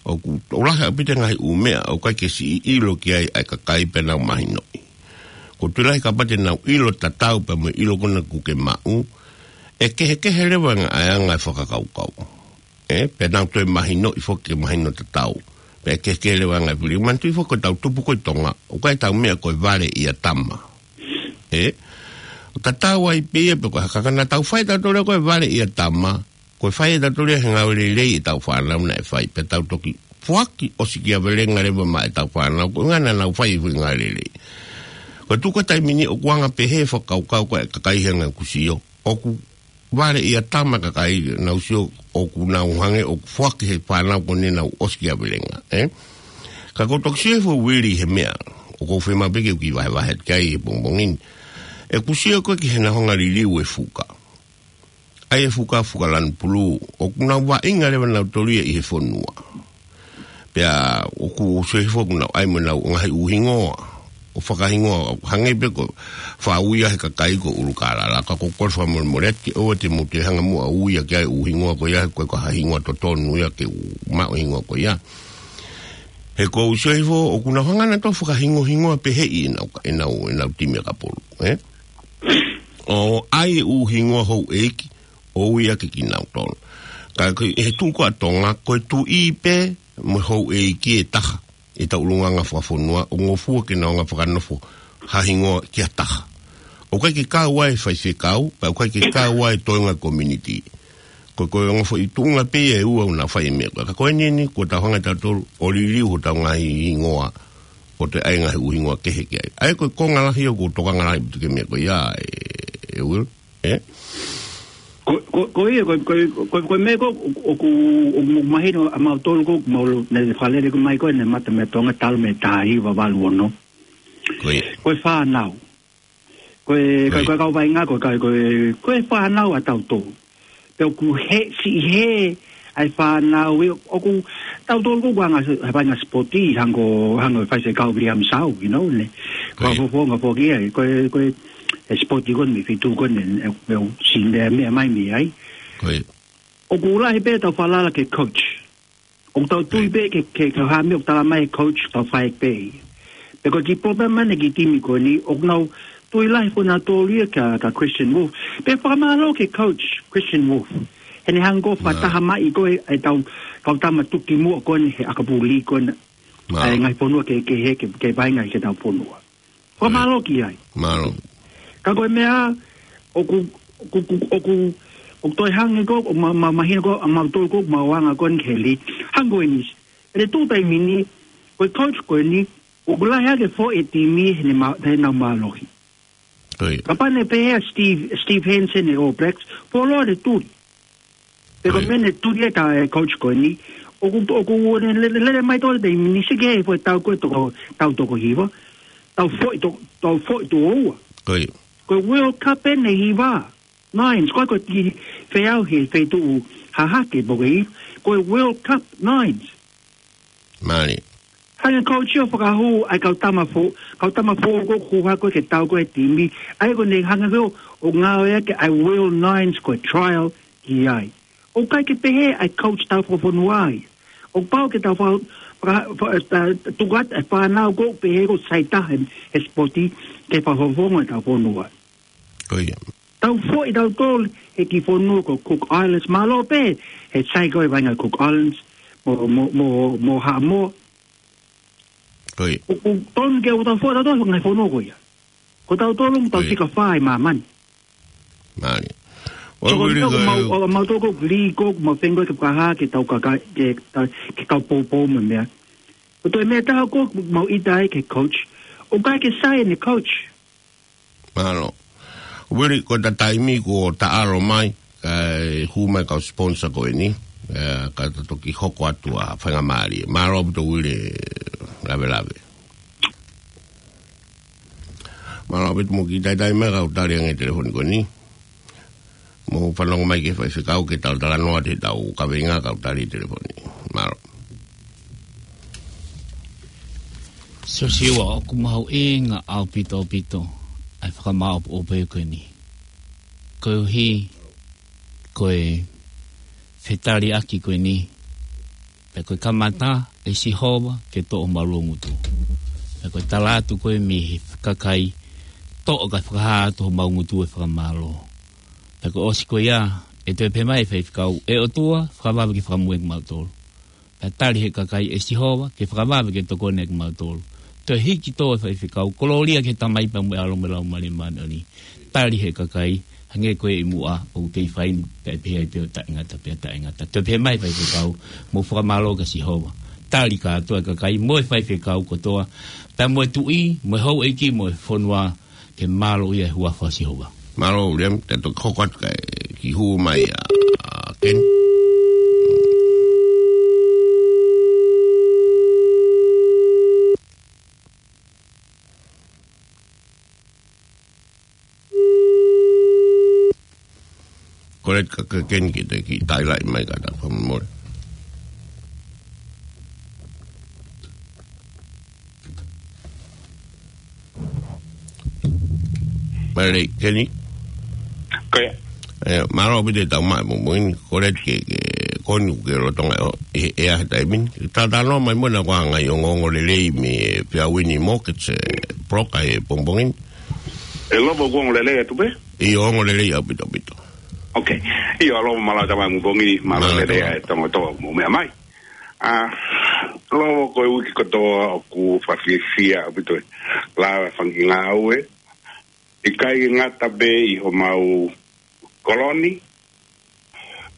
ʻOku, ʻoku lahi ʻaupito e ngaahi ʻū meʻa, ʻoku ʻikai ke siʻi ʻilo ki ai ʻa e kakai pea nau mahinoʻi. ʻOku ou tui lahi kapau te nau ʻilo tatau pea mo e ʻilo ko ena ʻoku ke maʻu, ʻe kehekehe leva ʻa e anga e fakakaukau. Ē, pea nau toe mahinoʻi foki ke mahino tatau. Pea ʻe kehekehe leva ʻa e ngaahi fili. Manatuʻi foki ko ʻetau tupu ko ē ʻi Tonga, ʻoku ʻikai ʻetau meʻa ko e vale ʻia tama. Ē, ʻoku tatau ai pē ia pe ko e hā, ka naʻa tau fai ʻetautolu ia ko e vale ʻia tama, ko e fai ʻetautolu ia he ngāue lelei ʻetau fānau naʻe fai, pea tau toki foaki ʻosikiavelenga leva maʻa ʻetau fānau, ko e ʻuhinga naʻa nau fai e foʻi ngāue lelei. Ko e tuʻu ko ē taimi ni ʻoku anga pehē e fakakaukau ko ē ʻa e kakai he anga ʻeku sio, ʻoku vale ʻia tama e kakai, nau sio ʻoku nau hangē ʻoku foaki he fānau ko eni ʻenau ʻosikiavelenga, ē? Ka ʻoku ou toki sio hifo, Uili, he meʻa ʻoku ou fiemaʻu pē ke u kiʻi vahevahe atu ki ai he pongipongi ni. ʻEku sio ko ē ki heʻenau hanga ʻo liliu e fuka. ʻAi e fuka, fuka lanu pulū, ʻoku nau vaʻinga leva nautolu ia ʻi he fonua. Pea ʻoku ou sio hifo ʻoku nau ʻai mo ʻenau ngaahi ʻū hingoa, ʻo fakahingoa, hangē pē ko e faʻa ui ia he kakai ko ʻUlukālala, ka ʻoku ou kole fakamolemole atu ke ʻoua te mou toe hanga muʻa ʻo ui ia ki ai e ʻū hingoa ko ia, he ʻoku ʻikai ko ha hingoa totonu ia ke u maʻu e hingoa ko ia. He ʻoku ou sio hifo ʻoku nau hanga nautolu ʻo fakahingohingoa pehē ʻenau, ʻenau, ʻenau timi ʻakapulu, ē? ʻO ʻai e ʻū hingoa houʻeiki, ʻo ui ʻaki kinautolu. Ka ko e, he tuʻu ko ē ʻa Tonga, ko e tuʻi pē mo e houʻeiki ʻe taha ʻi he ʻulungaanga fakafonua, ʻoku ngofua ke nau hanga ʻo fakanofo ha hingoa ki ha taha. ʻOku ʻikai ke kau ai e faifekau, pea ʻoku ʻikai ke kau ai e toenga community. Ko, ko e ongo foʻi tuʻunga pē ia ʻe ua ʻoku nau fai e meʻa ko ē. Ka ko eni eni, kuo tau hanga ʻetautolu ʻo liliu hotau ngaahi hingoa, ʻo toe ʻai e ngaahi ʻū hingoa kehe ki ai. ʻA ia ko e konga lahi ʻoku ou tokanga lahi atu ki he meʻa ko ia, ē, ē, Uili. Ē? Ko, ko, ko ia, ko, ko, ko, ko e meʻa ko ē ʻoku, ʻoku, ʻoku mahino ʻa mautolu ko ē, mau lo, ne fakalele ko ē mai ko ē, ne mata mei Tonga talu mei he taha hiva valu ono. Ko ia. Ko e fānau. Ko e, ko e, ko e kau vaʻinga, ko e, ko e, ko e, ko e fānau ʻatautolu. Pea ʻoku hē, siʻi hē ʻa e fānau ia, ʻoku tautolu ko ē ʻoku anga, he vaʻinga sipoti, hangē ko, hangē ko e faifekau William Sau, you know, ne. Ko ia. Ko e fofonga foki ia, ko e, ko e, e sipoti ko eni mei Fitu ko eni, ē, ʻoku siʻi meʻa, meʻa mai mei ai. Ko ia. ʻOku lahi pē ʻetau falala ki he coach. ʻOku tau tui pē ke, ke, ke hā meʻa ʻoku tala mai e coach, tau fai pē. Pea ko e kiʻi palopalema eni ki he timi ko eni, ʻoku nau tui lahi foki nautolu ia kia, kia Christian Wolf. Pea fakamālō ki he coach, Christian Wolf. He ne hanga ʻo fakataha mai ko ē ʻa e tau, kau tama tuki muʻa ko eni he ʻakapulu ko ena. Mālō. ʻA e ngaahi fonua ke, ke he, ke, ke vainga ke tau fonua. Fakamālō ki ai. Mālō. Ka ko e meʻa, ʻoku, ʻoku, ʻoku, ʻoku, ʻoku toe hangē ko, ʻo ma, ma, mahino ko, ʻa mautolu ko, mau anga ko eni ki he lī. Hangē ko eni. ʻI he tuʻu taimi ni, ko e coach ko eni, ʻoku lahi ʻa e foʻi timi he ne ma, he nau mālohi. Ko ia. Kapau ne pehē ʻa Steve, Steve Hansen ʻa e All Blacks, fuoloa ʻene tuli. Pe ko e Ko ia. meʻa ne tuli ʻe he coach ko eni, ʻoku, ʻoku ne lele, lele mai tolu taimi ni sike he foʻi tau ko ē toko, tau toko hiva, tau foʻi to, tau foʻi toko ua. Ko ia. Ko e World Cup ʻe hiva, nines, ko e ko e tiki feau he feituʻu hahake po ke hiva, ko e World Cup nines. Mālie. Hanga coach ʻo fakahū ʻa e kau tama fo, kau tama fo ko ē ʻoku hoko ke tau ko ē he timi. ʻA ia ko ʻene hanga ko ē ʻo ngāueʻaki ʻa e World Nines ko e trial ki ai. ʻOku ʻikai ke pehē ʻa e coach tau fakafonua ia. ʻOku pau ke tau fa, fa, fa, ta, tuku atu ʻa e fānau ko ē ʻoku pehē ko e sai taha he, he sipoti ke fakafofonga ʻetau fonua. Ko ia. Tau foʻi tautolu he kiʻi fonua ko Cook Islands, mālō pē he sai ko ē vainga Cook Islands, mo, mo, mo, mo Haʻamoa. Ko ia. ʻOku, ʻoku tonu ke ʻoua tau foʻi tautolu he ngaahi fonua ko ia. Ko tautolu ʻoku tau Ko ia. fika fā ʻi māmani. Mālie. So, ʻoku ko ʻeni ʻoku mau, ʻoku mau toko lī ko ē ʻoku mau feinga ke fakahā ke tau kakai, ke ta, ke kau poupou mo e meʻa. Ko e toe meʻa ʻe taha ko ē ʻoku mau ʻita ai ki he coach. ʻOku ʻikai ke sai ʻene coach. Mālō. Ueli, ko e taimi kuo ta ʻalu mai, kae hū mai kau sponsor ko eni, ē, ka ta toki hoko atu ʻa e faingamālie. Mālō ʻaupito Ueli, lavelave. Mālō ʻaupito mo e kiʻi talitali mai kau tali ange telefoni ko eni. Mou fanongo mai ki he faifekau ke talatalanoa atu he ʻetau kaveinga kau tali telefoni. Mālō. Siosiua, ʻoku mahuʻinga ʻaupito ʻaupito ʻa e fakamāʻopoʻopo ko eni. Koeʻuhi, ko e fetaliʻaki ko eni, pea ko e kamata ʻe Sihova ke toʻo homau ngutu. Pea ko e tala atu ko ē mei he kakai, toʻo kae fakahā atu homau ngutu ʻa e fakamālō. Pea ko e ʻosi ko ia, ʻe toe pehē mai ʻe he faifekau, ʻe ʻOtua, fakavave ke fakamui kimautolu. Pea tali ʻe he kakai, ʻe Sihova, ke fakavave ke tokoni kimautolu. Toe hiki tō ʻa e faifekau, kolōlia ki he Tamai pea mo e ʻAlo mo e Laumālie Māʻoniʻoni. Tali ʻe he kakai, hangē ko e ʻi muʻa, ʻoku kei fai ni, pea pehē ai pē ʻo taʻengata, pea taʻengata. Toe pehē mai ʻe he faifekau, mou fakamālō kia Sihova. Tali kātoa ʻa e kakai, mo e faifekau kotoa, pea mo e tuʻi, mo e houʻeiki, mo e fonua, ke mālō ʻi he huafa ʻo Sihova. Mālō Ueli, te u toki hoko atu kae kiʻi hū mai ʻa, ʻa Ken. Ko e ka, ka Ken ki te kiʻi talitali mai ka ta fakamolemole. Mālie, Keni. Ko ia. Ē, mālō ʻaupito ʻetau maʻu mo moini, ko e ke, ke, ko eni ke lolotonga ʻi he ʻea he taimi ni. Talatalanoa mai mo ʻena ko e ngaahi ongoongo lelei mei he Fiauini Mortgage, ē, Broker he pongipongi ni. ʻE Lovo, ko e ongo lelei atu pē? ʻIo, ongo lelei ʻaupito, ʻaupito. Ok. ʻIo, Lovo, mālō e tama mo e pongipongi ni, mālō Mālō e lelei tama. ʻA e tonga toa mo meʻa mai. ʻA, Lovo, ko e uike kotoa ʻoku fakafiefia ʻaupito e lava e fanga kiʻi ngāue. ʻIkai ke ngata pē ʻi homau kolo ni.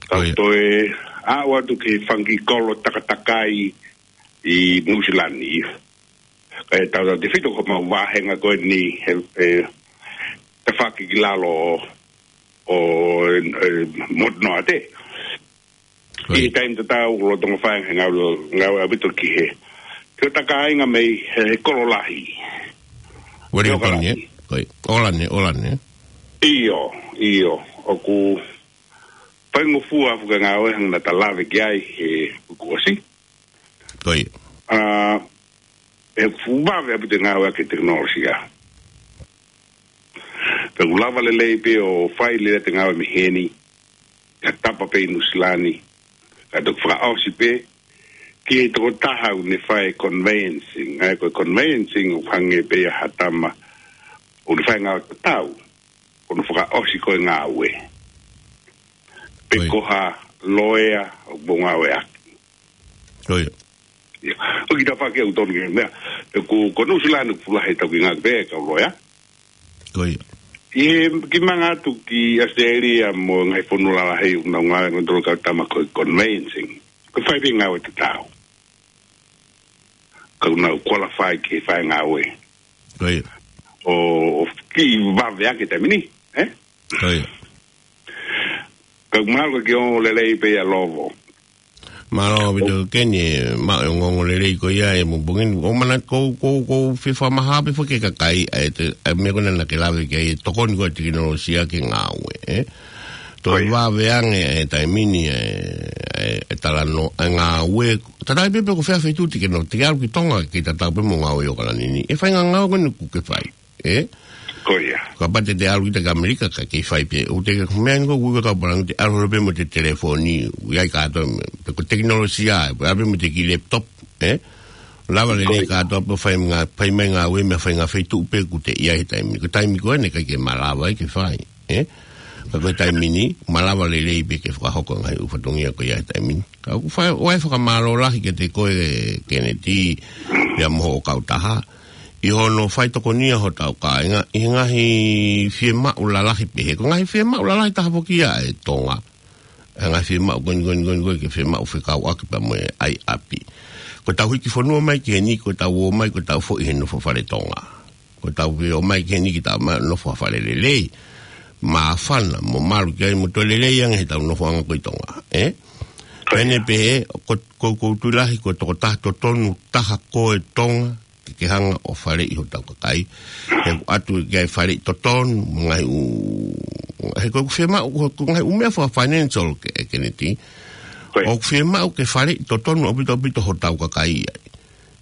Tau ʻIo. toe aʻu atu ki he fanga kiʻi kolo takatakai ʻi Nuʻusila ni. ʻE tautautefito ko homau vāhenga ko eni he, he tafaʻaki ki lalo ʻo, ʻo, ʻe, Motu Noa Ate. ʻIo. ʻI he taimi tatau, lolotonga fai e ngāue, ngāue ʻaupito ki he, ki he takainga mei he, he kolo lahi. Wellington, Auckland. ʻIo. ʻIo, ʻIo, ʻoku faingofua ʻa e ngāue hangē naʻa ta lave ki ai he uike kuo ʻosi. ʻIo. ʻA, ʻe fuʻu vave ʻaupito e ngāue ʻaki e tekinolosia. Pea ʻoku lava lelei pē ʻo fai lelei ʻa e ngāue mei heni, ʻi ha tapa pē ʻi Nuʻusila ni, ka toki fakaʻosi pē, ki he tokotaha ʻoku ne fai e conveyancing, ʻa ia ko e conveyancing ʻoku hangē pē ia ha tama, ʻoku ne fai e ngāue tatau, ʻoku ne fakaʻosi ko e ngāue. Pe Ko ia. ko ha loea ʻoku ngāueʻaki. Ko ia. Ia. ʻOku ʻikai ke tau faʻa ke u tonu ke meʻa. Pe ko, ko Nuʻusila ʻoku fuʻu lahi ʻetau kiʻi ngāue pē kau loea. Ko ia. ʻI he kiʻi manga atu ki ʻAositelēlia mo e ngaahi fonua lalahi ʻoku nau ngāue ʻa e ngaahi tolo kau tama ko e conveyancing. Ko e fai pē ngāue tatau. Ka ʻoku nau qualify ke fai ngāue. Ko ia. ʻO, ʻo kiʻi vave ange he taimi ni, ē? Ko ia. Ka ʻoku mahalo ke ongo lelei pē ia Lovo. Mālō ʻaupito Keni, maʻu e ongoongo lelei ko ia ʻi he pongipongi ni. ʻOku mana ko, ko, ko fie fakamaha pē foki ki he kakai, ʻa e te, ʻa e meʻa ko ena naʻa ke lave ki ai, ʻa e tokoni ko ē ʻa e tekinolosia ki he ngāue, ē? Toe Ko ia. vave ange ʻa e taimi ni, ʻa e, ʻa e, ʻa e talanoa, ʻa e ngāue. Tatau ai pē pe ko fē feituʻu te ke nofo, te ke ʻalu ki Tonga ke tatau pē mo e ngāue ʻi ʻAokalani ni. ʻE fai e ngaahi ngāue ko eni ʻoku ke fai. Ē? Ko ia. Kapau te te ʻalu kita ki ʻAmelika ka ke fai pē. ʻOku te ke meʻa ni ko ui ka pala te ʻalu pē mo e telefoni. ʻOku ʻi ai kātoa, pe ko e tekinolosia, ʻe ʻalu pē mo e kiʻi laptop. Ē? Lava lelei Ko ia. kātoa pē fai ngā, fai mai ngāue mei he fai ngā feituʻu pē ʻoku te ʻi ai he taimi. Ko e taimi ko eni ʻikai ke malava ai ke fai. Ē? Ka ko e taimi ni, malava lelei pē ke fakahoko e ngaahi ʻū fatongia ko ia he taimi ni. Ka ʻoku fai, ʻoku ou fakamālō lahi kiate koe Keneti, pea mo hoʻo kautaha. ʻI hono fai tokonia hotau kāinga, ʻi he ngaahi fiemaʻu lalahi pehē. Ko e ngaahi fiemaʻu lalahi taha foki ia ʻa e Tonga. ʻA e ngaahi fiemaʻu ko eni, ko eni, ko eni, ko eni, ke fiemaʻu fekauʻaki pea mo e ʻai ʻapi. Ko ʻetau hiki fonua mai ki heni, ko ʻetau ō mai, ko ʻetau foʻi he nofo fale Tonga. Ko ʻetau ō mai ki heni ke tau ma-, nofo ha fale lelei. Māfana, mo malu ki ai, mo toe lelei ange heʻetau nofoʻanga ko ē ʻi Tonga. Ē? Ko ia. Pea ne pehē, ko, ko, ko e tui lahi, ko e tokotaha totonu taha ko ē Tonga, ke, ke hanga ʻo faleʻi hotau kakai. He ʻoku ʻatu ke ʻai e faleʻi totonu, mo e ngaahi ʻū, he ko e fiemaʻu, ko, ko e ngaahi ʻū meʻa faka-financial Ke-, Keneti. Ko ia. ʻOku fiemaʻu ke faleʻi totonu ʻaupito ʻaupito hotau kakai ai.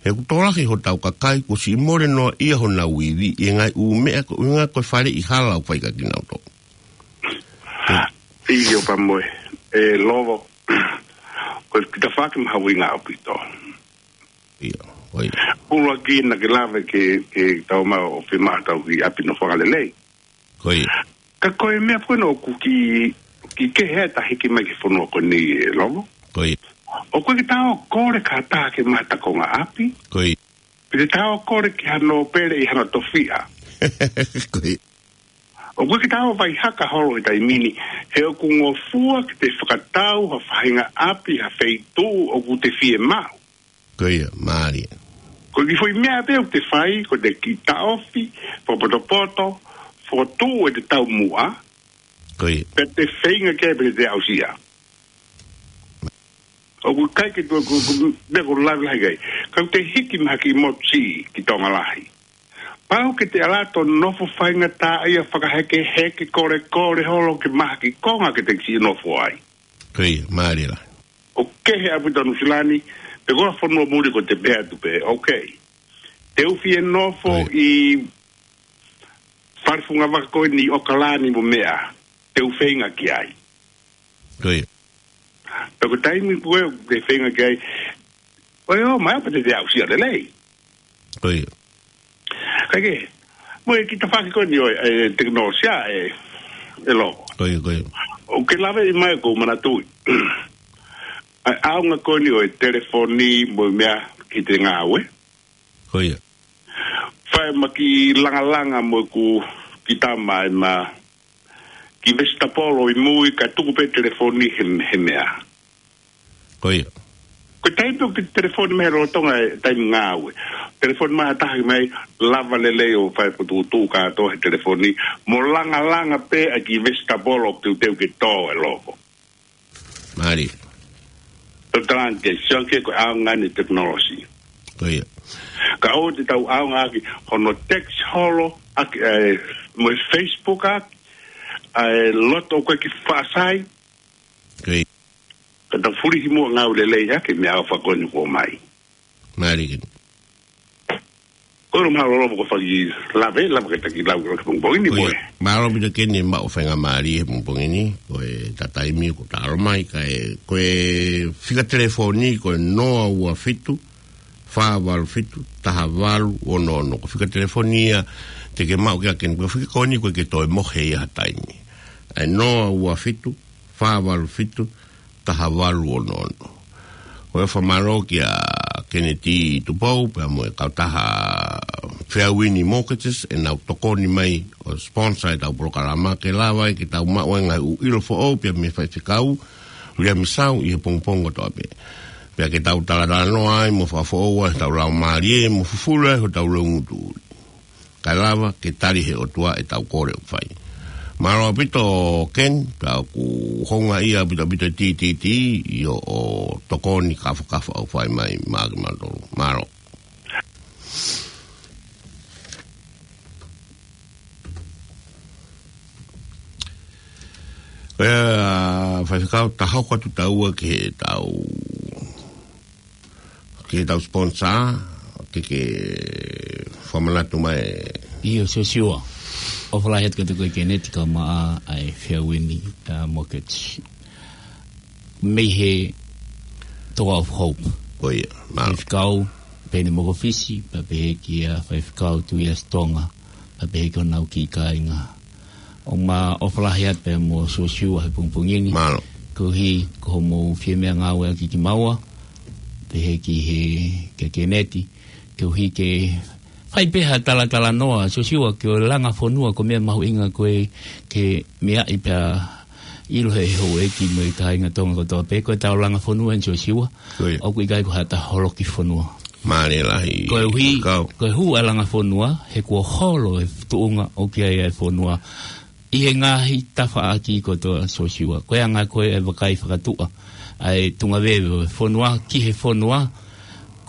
He ʻoku tokolahi hotau kakai, kuo siʻi mole noaʻia honau ivi, ʻi he ngaahi ʻū meʻa ko e ʻuhinga ko e faleʻi hala ʻoku fai kia kinautolu. ʻIo pea mo e, ʻe Lovo, ko e kita faki mahuʻinga ʻaupito. ʻIo, ko ia. ʻUluaki naʻa ke lave ke, ke tau maʻu ʻo fiemaʻu ʻetau kiʻi ʻapi nofoʻanga lelei. Ko ia. Ka ko e meʻa foki ʻoku kiʻi, kiʻi kehe ʻa e hiki mai ki he fonua ko eni ʻe Lovo. Ko ia. ʻOku ʻikai ke tau kole ki ha taha ke maʻu ha konga ʻapi. Ko ia. Pe te tau kole ki hano pele ʻi hano tofiʻa. Ko ia. ʻOku ʻikai ke tau vaihaka holo he taimi ni, he ʻoku ngofua ke te fakatau ha faʻahinga ʻapi ha feituʻu ʻoku te fiemaʻu. Ko ia, mālie. Ko e kiʻi foʻi meʻa pē ʻoku te fai, ko e te kiʻi taʻofi, fakapotopoto, fokotuʻu ʻete taumuʻa, Ko ia. pea te feinga ke pē te aʻusia. ʻOku ʻikai ke tuʻu, ko, ko, meʻa ʻoku lave lahi ki ai. Ka ʻoku te hiki mai ha kiʻi motu siʻi ki Tonga lahi. Pau ke te ʻalu atu ʻo nofo faingataʻaʻia fakahekeheke kolekole holo ke maʻu ha kiʻi konga ke te kiʻi nofo ai. Ko ia, mālie lahi. ʻOku kehe ʻaupito Nuʻusila ni, pe ko ha fonua muli ko ē te pehē atu pē, okay. Te u fie nofo Ko ia. ʻi fale fungavaka ko eni ʻi ʻAokalani mo meʻa, te u feinga ki ai. Ko ia. Pea ko e taimi ko ē te feinga ki ai, ʻoiauē, mai pē te te aʻusia lelei. Ko ia. Kae kehe, mo e kiʻi tafaʻaki ko eni ʻo e, e tekinolosia ʻe, ʻe Lovo. Ko ia, ko ia. ʻOku ke lave mai ʻoku ou manatuʻi. ʻA e ʻaonga ko eni ʻo e telefoni mo e meʻa ki he ngāue. Ko ia. Fai ʻema kiʻi langalanga mo ʻeku kiʻi tama ʻema kiʻi vesitapolo ʻi mui kae tuku pē telefoni he, he meʻa. Ko ia. Ko e taimi ʻoku te telefoni mai he lolotonga e taimi ngāue. Telefoni mai ha taha mai lava lelei ʻo fai e fokotuʻutuʻu kātoa he telefoni. Mo langalanga pē ʻa e kiʻi vesitapolo ʻoku teuteu ke tō ʻe Lovo. Mālie. Tau talanga ke sio ange ko e ʻaonga ʻeni e tekinolosia. Ko ia. Ka ʻoua te tau ʻaonga ʻaki hono text holo ʻaki, ʻe, mo e Facebook ʻaki, ʻe, loto ko ē ki faʻa sai. Ko ia. Ka tau fulihi muʻa ngāue lelei ʻaki e meʻa ʻofa ko eni kuo ʻomai. Mālie. Ko e mālō Lovo ko e fai lave, lava ke taki lau ki he pongipongi ni Ko ia. moe. Mālō ʻaupito Keni maʻu faingamālie he pongipongi ni, ko e taimi ko e talo mai, kae, ko e fika telefoni, ko e noa ua fitu, fā valu fitu, taha valu ono ono. Ko e fika telefoni ia te ke maʻu kia Keni, ko e fika ko eni ko ē ke toe mohe ia ha taimi. ʻA e noa ua fitu, fā valu fitu, taha valu ono ono. ʻOku ou fakamālō kia Keneti Tupou, pea mo e kautaha Fairwind Mortgages, ʻenau tokoni mai ʻo sponsor ʻetau polokalama ke lava ai ke tau maʻu ai e ngaahi ʻū ʻilo foʻou pea mei he faifekau Liamisau ʻi he pongipongi kotoa pē. Pea ke tau talatalanoa ai mo fakafoʻou ai hotau laumālie mo fufulu ai hotau loungutu. Kae lava ke tali ʻe he ʻOtua ʻetau kole ʻoku fai. Mālō ʻaupito Ken, pea ʻoku houngaʻia ʻaupito ʻaupito e TTT ʻi hoʻo tokoni kafakafa ʻoku fai mai maʻa kimautolu. Mālō. ʻIo, faifekau, ta hoko atu taua ki heʻetau ke tau sponsor, ke ke fakamanatu mai. ʻIo, Siosiua. ʻOfa lahi atu kiate koe Keneti kae ʻumaʻā e Fairwind, uh, Mortgage. Mei he Toa of Hope. ʻIo, mālō. Faifekau Peni Mokofisi, pea pehē kia Faifekau Tuiasi Tonga, pea pehē ki honau kiʻi kāinga. ʻOku ma ʻofa lahi atu pea mo Siosiua he pongipongi ni. Mālō. Koeʻuhi ko hoʻomou fie meʻangāueʻaki kimaua, pehē ki he, kia Keneti, koeʻuhi ke fai pē ha talatalanoa, Siosiua, ki he langa fonua, ko e meʻa mahuʻinga ko ē ke meaʻi pea ʻilo ʻe he houʻeiki mo e kāinga Tonga kotoa pē, ko ʻetau langa fonua eni Siosiua, ʻIo. ʻoku ʻikai ko haʻata holoki fonua. Mālie lahi. Koeʻuhi, Kau. ko e hū ʻa e langa fonua, he kuo holo e tuʻunga ʻoku ʻi ai e fonua ʻi he ngaahi tafaʻaki kotoa Siosiua. Ko e anga ko ē e vakai fakatuʻa ʻa e tuʻunga veve ʻo e fonua ki he fonua,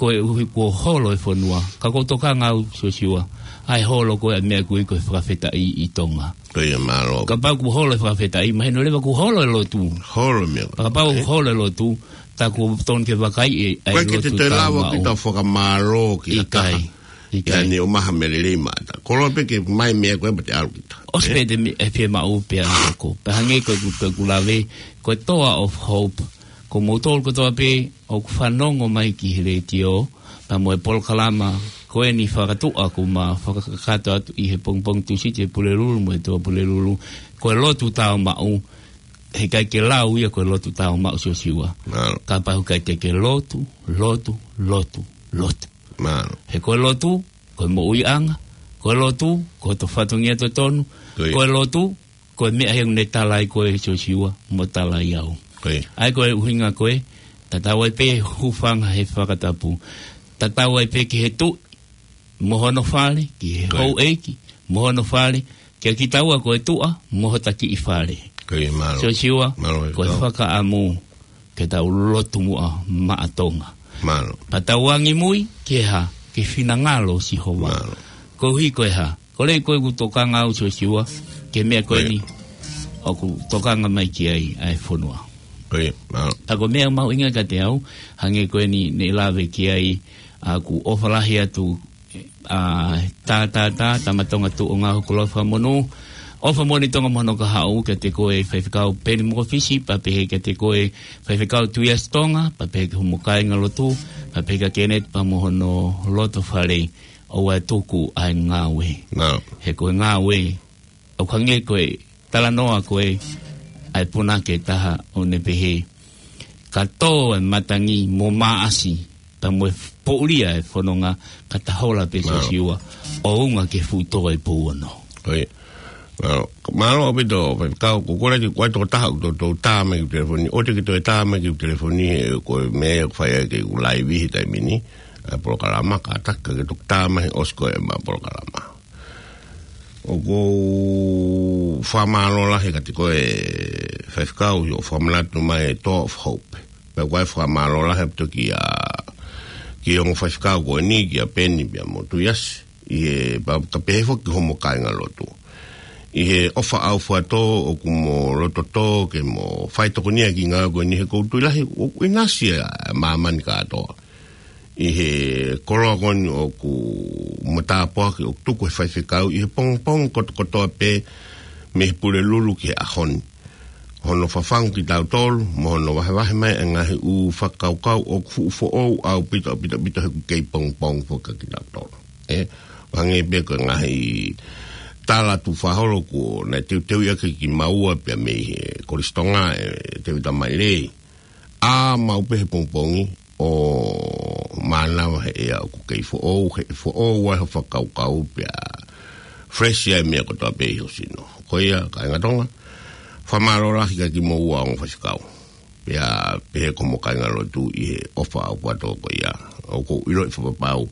koeʻuhi kuo holo e fonua. Ka ʻoku ou tokanga au Siosiua, ʻa e holo ko ē ʻa e meʻa ʻoku ui ko e fakafetaʻi ʻi Tonga. ʻIo, mālō. Kapau kuo holo e fakafetaʻi, mahino leva kuo holo e lotu. Holo e meʻa. Kapau ʻe holo e lotu, tā kuo totonu ke vakaiʻi e, ʻa e lotu. Ko e ke te toe lava ke tau fakamālō ki ha taha. ʻIkai. ʻIkai. ʻIkai. Ane o maha melelei mata. Koloa pē ke mai meʻa ko ē pea te ʻalu kita. ʻOsi pē te mi-, e fiemaʻu pea hoko. Pea hangē ko ʻeku, ko ʻeku lave, ko e Toa of Hope. Ko moutolu kotoa pē, ʻoku fanongo mai ki he letiō, pea mo e polokalama, ko eni fakatuʻa ʻoku ma fakakakato atu ʻi he pongipongi Tūsite ʻi Pulelulu mo e Toa Pulelulu, ko e lotu tāumaʻu, heʻikai ke lau ia ko e lotu tāumaʻu Siosiua. Mālō. Kapau ʻikai te ke lotu, lotu, lotu, lotu. Mālō. He ko e lotu, ko e moʻuiʻanga, ko e lotu, ko hoto fatongia totonu, ʻIo. ko e lotu, ko e meʻa he ʻoku ne tala ai koe Siosiua, mo tala ai au. ʻIo. ʻA ia ko e ʻuhinga ko ē, tatau ai pē hūfanga he fakatapu. Tatau ai pē ki he tuʻi, mo hono fale, ki he ʻIo. houʻeiki, mo hono fale, kia kitaua ko e tuʻa, mo hota kiʻi fale. ʻIo, mālō. Siosiua, Mālō, ko e Kau. fakaʻamu, ke tau lotu muʻa maʻa Tonga. Mālō. Pea tau angimui, ki he hā, ki he finangalo ʻo Sihova. Mālō. Koeʻuhi ko e hā, ko e lea ko ē ʻoku tokanga au Siosiua, ki he meʻa ko ʻIo. eni, ʻoku tokanga mai ki ai ʻa e fonua. ʻIo, mālō. Pea ko e meʻa mahuʻinga kiate au, hangē ko eni ne lave ki ai, ʻa ʻoku ʻofa lahi atu, ʻa, tā, tā, tā, tama Tonga tuʻunga ʻoku lau fakamonū. ʻOfa moʻoni Tonga mo hono kahaʻu kiate koe Faifekau Peni Mokofisi, pea pehē kiate koe Faifekau Tuiasi Tonga, pea pehē ki homo kāingalotu, pea pehē kia Keneti pea mo hono loto fale, ʻoua ʻe tuku ʻa e ngāue. Mālō. He ko e ngāue, ʻoku hangē ko e talanoa ko ē ʻa e punake taha ʻoku ne pehē, ka tō e matangi mo māʻasi, pea mo e poʻulia e fononga, ka ta hola pē Mālō. Siosiua, ʻo unga ke fuʻu tō e pou ono. ʻIo. Mālō. Mālō ʻaupito, Faifekau, ko e kole ki he tokotaha ʻoku toutou tā mai ki he telefoni, ʻoua te ke toe tā mai ki he telefoni, he ko e meʻa ʻoku fai ai ke u laivi he taimi ni, ʻa e polokalama, kātaki ke toki tā mai he ʻosi ko ē ʻema polokalama. ʻOku ou fakamālō lahi kiate koe Faifekau ʻi hoʻo fakamanatu mai e Toa of Hope. Pea ʻoku ou fakamālō lahi ʻaupito kia, ki he ongo faifekau ko eni, kia Peni pea mo Tuiasi. ʻI he, pea ka pehē foki ki homo kāingalotu. ʻI he ʻofa ʻaufuatō ʻoku mo lototō ke mo fai tokoni ai ki he ngāue ko eni he ʻoku ou tui lahi, ʻoku ʻinasi ʻa māmani kātoa. ʻI he koloa ko eni ʻoku mo tāpuaki ʻoku tuku ʻe he faifekau ʻi he pongipongi kotokotoa pē mei he Pulelulu ki he ʻaho ni. Hono fafangu kitautolu, mo hono vahevahe mai e ngaahi ʻū fakakaukau ʻoku fuʻu foʻou ʻaupito, ʻaupito, ʻaupito he ʻoku kei pongipongi foki kia kitautolu. ʻE, hangē pē ko e ngaahi tala tu faholo kuo naʻe teuteu ia ke ki maua pea mei he Kolisi Tonga ʻe Tēvita Maile. ʻA mau pē he pongipongi ʻo mānava he ʻea ʻoku kei foʻou, he foʻou ai ho fakakaukau pea fresh ai meʻa kotoa pē ʻi ho sino. Ko ia, kāinga Tonga, fakamālō lahi kia kimoua ongo faifekau. Pea pehē ki hoʻomo kāingalotu ʻi he ʻofa ʻaupito ko ia. ʻOku ou ʻiloʻi fakapapau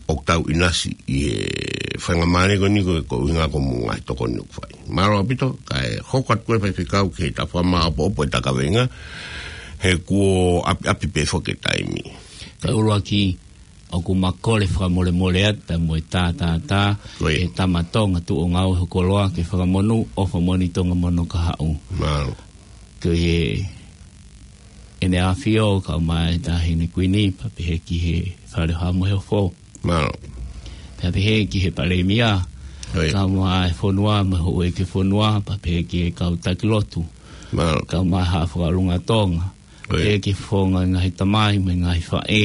ʻoku tau ʻinasi ʻi he faingamālie ko eni ko e ko e ʻuhinga ko hoʻomo ngaahi tokoni ʻoku fai. Mālō ʻaupito, kae hoko atu ʻa e faifekau ki he tafaʻaki maʻopoʻopo ʻetau kaveinga, he kuo ʻapiʻapi pē foki e taimi. Kae ʻuluaki, ʻoku ma kole fakamolemole atu pea mo e tātātā, Ko ia. ʻe tama Tonga tuʻu ʻo ngāue ho koloa ke fakamonū ʻofa moʻoni Tonga mono kahaʻu. Mālō. Ko e ʻEne ʻAfio, kae ʻumaʻā e Taʻahine Kuini, pea pehē ki he Fale ʻo Haʻa Moheofo. Mālō. Pea pehē ki he Palēmia, Ko ia. kae ʻumaʻā e fonua, mo e houʻeiki fonua, pea pehē ki he kau taki lotu. Mālō. Kae ʻumaʻā Haʻa Fakaʻolunga Tonga. Ko ia. Pehē ki he fofonga ngaahi tamai, mo e ngaahi faʻē,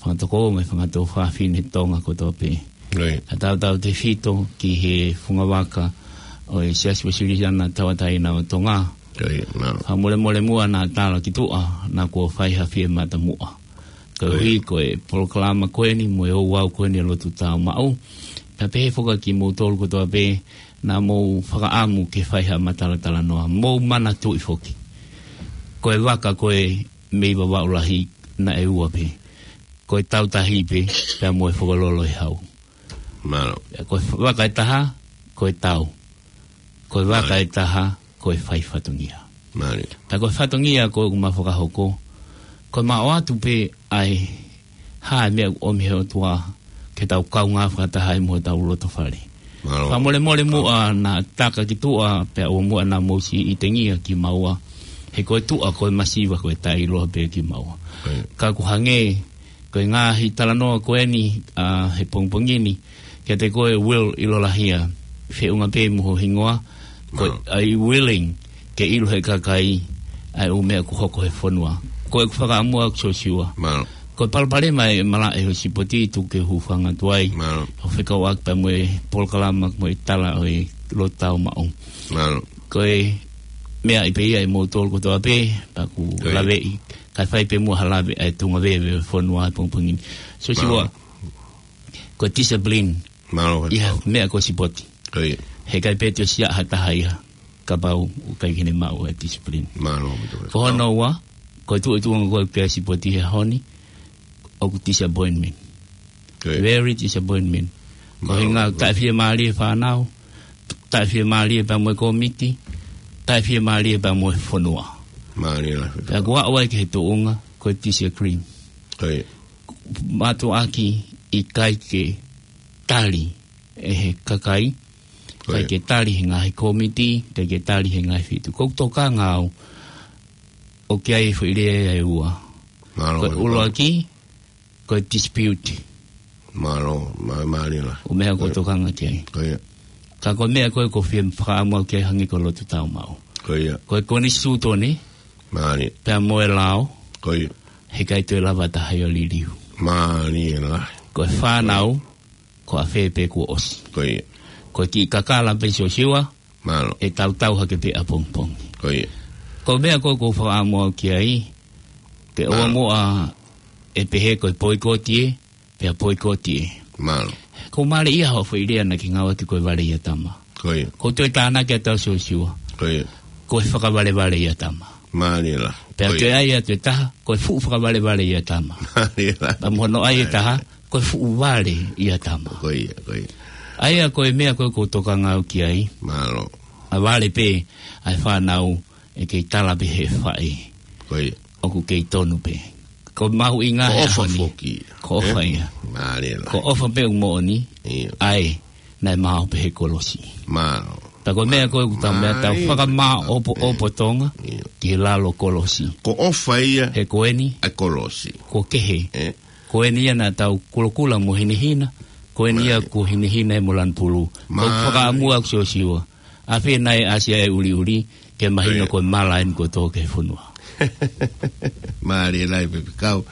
fanga tokoua mo e fanga tuofāfine Tonga kotoa pē. Ko ia. Kae tautautefito ki he fungavaka ʻo e Siasi Uēsiliana Tauʻatāina ʻo Tonga. Ko ia, mālō. Fakamolemole muʻa naʻa tala ki tuʻa, naʻa kuo fai ha fiematamuʻa. Ko ia. Koeʻuhi ko e polokalama ko eni, mo e ouau ko eni ʻa e lotu tāumaʻu. Pea pehē foki kimoutolu kotoa pē, naʻa mou fakaʻamu ke fai ha matalatalanoa. Mou manatuʻi foki. Ko e vaka ko ē mei Vavaʻu Lahi naʻe ua pē. Ko e tau tahi pē, pea mo e Fokololo ʻi Hau. Mālō. Ko e vaka ʻe taha, ko e tau. Ko e vaka Mālō. ʻe taha, ko e fai fatongia. Mālō. Pea ko e fatongia ko ē ʻoku ma fakahoko, ko e ma ʻoatu pē ʻa e hā e meʻa ʻoku ʻomi he ʻOtua ke tau kaungā fakataha ai mo hotau loto fale. Mālō. Fakamolemole muʻa naʻa taka ki tuʻa pea ʻoua muʻa naʻa mou siʻi ʻitengia kimaua. He ko e tuʻa ko e masiva ko e taʻeʻiloa pē kimaua. Ko ia. Ka ʻoku hangē ko e ngaahi talanoa ko eni, ʻa, he pongipongi ni, kiate koe Will ʻIlolahia, feʻunga pē mo ho hingoa, ko Mālō. ʻa e willing ke ʻilo he kakai ʻa e ʻū meʻa ʻoku hoko he fonua. Ko ʻeku fakaʻamua ʻoku Siosiua. Mālō. Ko e palopalema ʻe malaʻe ho sipoti tuku ke hūfanga atu ai. Mālō. ʻO fekauʻaki pea mo e polokalama mo e tala ʻo e lotu tāumaʻu. Mālō. Ko e meʻa ʻi pē ia ʻe moutolu kotoa pē, pea ʻoku Ko ia. laveʻi. Kae fai pē muʻa ha lave ʻa e tuʻunga veve ʻo e fonua he pongipongi ni. Siosiua, Mālō. ko e discipline. Mālō, ʻI ha Faifekau. meʻa ko e sipoti. Ko ia. Heʻikai pē toe siʻa ha taha ia, kapau ʻoku ʻikai ke ne maʻu e discipline. Mālō, Faifekau. Ko hono ua, ko e tuʻutuʻunga ko ē ki he sipoti he ʻaho ni, ʻoku disappointment. Ko ia. Very disappointment. Ko e Mālō, hinga Faifekau. taʻefiemālie fānau, taʻefiemālie pea mo e kōmiti, taʻefiemālie pea mo e fonua. Mālō, Faifekau. Pea ʻoku aʻu ai ki he tuʻunga, ko e disagree. Ko ia. Mātuʻaki ʻikai ke tali ʻe he kakai, Ko ʻikai ia. ke tali he ngaahi kōmiti, ʻikai ke tali he ngaahi feituʻu. Ko ʻeku tokanga au, ʻoku ʻi ai e foʻi lea ʻe ua. Mālō, Ko e Faifekau. ʻuluaki, ko e dispute. Mālō, mā-, mālō. ʻO meʻa ʻoku Ko ia. tokanga ki ai. Ko ia. Ka ko e meʻa ko ē ʻoku ou fie fakaʻamu au ki ai hangē ko e lotu tāumaʻu. Ko ia. Ko e konisitūtone, Mālō. pea mo e lao, Ko ia. heʻikai toe lava ha taha ia ʻo liliu. Mālō. Ko e fānau, ko e fē pē kuo ʻosi. Ko ia. Ko e kiʻi kakala pē Siosiua, Mālō. ʻe tautau hake pē ʻapongipongi. Ko ia. Ko e meʻa ko ē ʻoku ou fakaʻamu au ki ai, ke ʻoua Mālō. muʻa ʻe pehē ko e poikoti ē, pea poikoti ē. Mālō. Ko e mālie ia hoʻo foʻi lea naʻa ke ngāueʻaki ko e vale ʻia tama. Ko ia. ʻOku ou toe tānaki atu Siosiua. Ko ia. Ko e fakavalevale ʻia tama. Mālō. Pea Ko ia. toe ʻai atu e taha, ko e fuʻu fakavalevale ʻia tama. Mālō. Pea mo hono ʻai e taha, ko e fuʻu vale ʻia tama. Ko ia, ko ia. ʻA ia ko e meʻa ko ē ʻoku ou tokanga au ki ai. Mālō. ʻA vale pē, ʻa e fānau, ʻe kei tala pē he faʻē. Ko ia. ʻOku kei tonu pē. Ko e mahuʻinga Ko e he ʻofa ʻaho ni. foki. Ko e ʻofa Eh? ia. Mālō. Ko e ʻofa pē ʻoku moʻoni. Ia. ʻAi, naʻe maʻu pē he kolosi. Mālō. Pea ko e meʻa ko ē ʻoku tau meʻa tau Mālō. fakamāʻopoʻopo Tonga Ia. ki he lalo kolosi. Ko e ʻofa ia He ko eni, ʻa e kolosi. ko e kehe. Eh? Ko eni ia naʻa tau kulokula mo hinehina. Ko eni ia Mālō. kuo hinehina ʻe mo lanu pulu. Ko e Mālō. fakaʻamu ʻoku Siosiua. ʻAfē naʻe ʻasi ʻa e ʻuliʻuli, ke mahino Ko ia. ko e mala eni kuo tō ki he fonua. Mālō lahi Faifekau.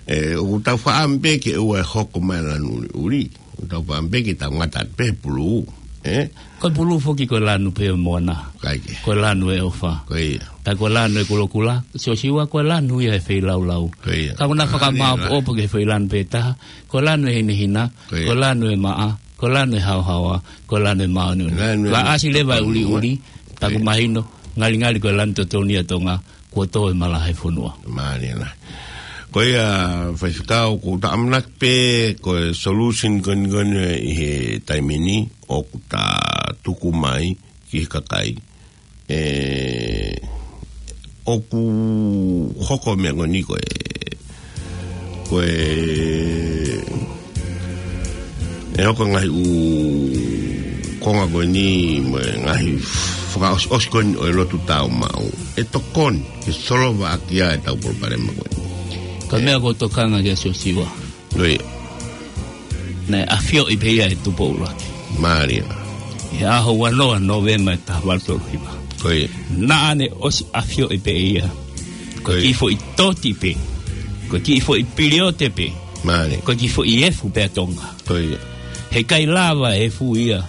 ʻE, ʻoku tau fakaʻamu pē ke ʻoua ʻe hoko mai lanu ʻuliʻuli. ʻOku tau fakaʻamu pē ke tau ngata pē he pulu. ē? Ko e pulu foki ko e lanu pē ʻo e moana. Kaike. Ko e lanu ʻo e ʻofa. Ko ia. Pea ko e lanu ʻo e kulokula, Siosiua, ko e lanu ia ʻo e feilaulau. Ko ia. Ka ʻoku na fakamāʻopoʻopo ki he foʻi lanu pē taha, ko e lanu ʻo e hinehina, ko ia, ko e lanu ʻo e maʻa, ko e lanu ʻo e haohaoa, ko e lanu ʻo e māʻoniʻoni. Lanu ʻo e māʻoniʻoni. Ka ʻasi leva e ʻuliʻuli, ko ia, taku mahino, ngalingali ko e lanu totonu ia ʻa Tonga, kuo tō e malaʻe he fonua. Mālie lahi. Ko ia, Faifekau, ʻoku ta ʻamanaki pē ko e solution ko eni ko eni ʻi he taimi ni ʻoku ta tuku mai ki he kakai. ʻE, ʻoku hoko e meʻa ko eni ko e, ko e, ʻe hoko e ngaahi ʻū konga ko eni mo e ngaahi fakaʻosiʻosi ko eni ʻo e lotu tāumaʻu ʻe tokoni ke solova ʻaki ʻa ʻetau palopalema ko eni. Ko e meʻa ʻoku ou tokanga ki ai, Siosiua. Ko ia. Naʻe ʻafioʻi pē ia ʻe Tupou ʻUluaki. Mālie. ʻI he ʻaho ua noa Nōvema ʻe taha valu tolu hiva. Ko ia. Naʻa ne ʻosi ʻafioʻi pē ia. Ko e, ko ia, kiʻi foʻi toti pē. Ko e kiʻi foʻi piliote pē. Mālie. Ko e kiʻi foʻi efu pē ʻa Tonga. Ko ia. Heʻikai lava e efu ia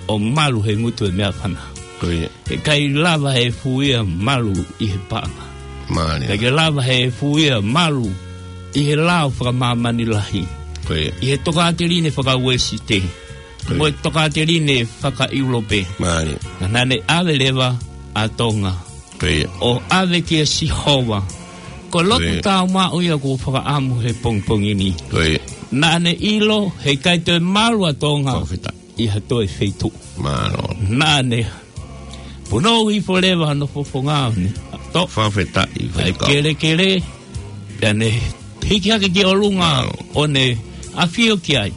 ʻo malu he ngutu ʻo e meʻafana. Ko ia. Heʻikai lava e efu ia ʻo malu ʻi he paʻanga. Mālie. Heʻikai lava e efu ia ʻo malu ʻi he lao fakamāmani lahi. Ko ia. ʻI he tokāteline fakauēsite. Ko ia. Mo e tokāteline fakaʻIulope. Mālie. Ka naʻa ne ʻave leva ʻa Tonga. Ko ia. ʻO ʻave kia Sihova. Ko e lotu, ko ia, tāumaʻu ia ʻoku ou fakaʻamu he pongipongi ni. Ko ia. Naʻa ne ʻilo heʻikai toe malu ʻa Tonga. Fakafetaʻi. ʻI ha toe feituʻu. Mālō. Naʻa ne punou hifo leva hono fofonga ʻo ne ʻato. Fakafetaʻi, ʻa e Faifekau. Kelekele, pea ne hiki hake ki ʻolunga, mālō, ʻo ne ʻafio ki ai.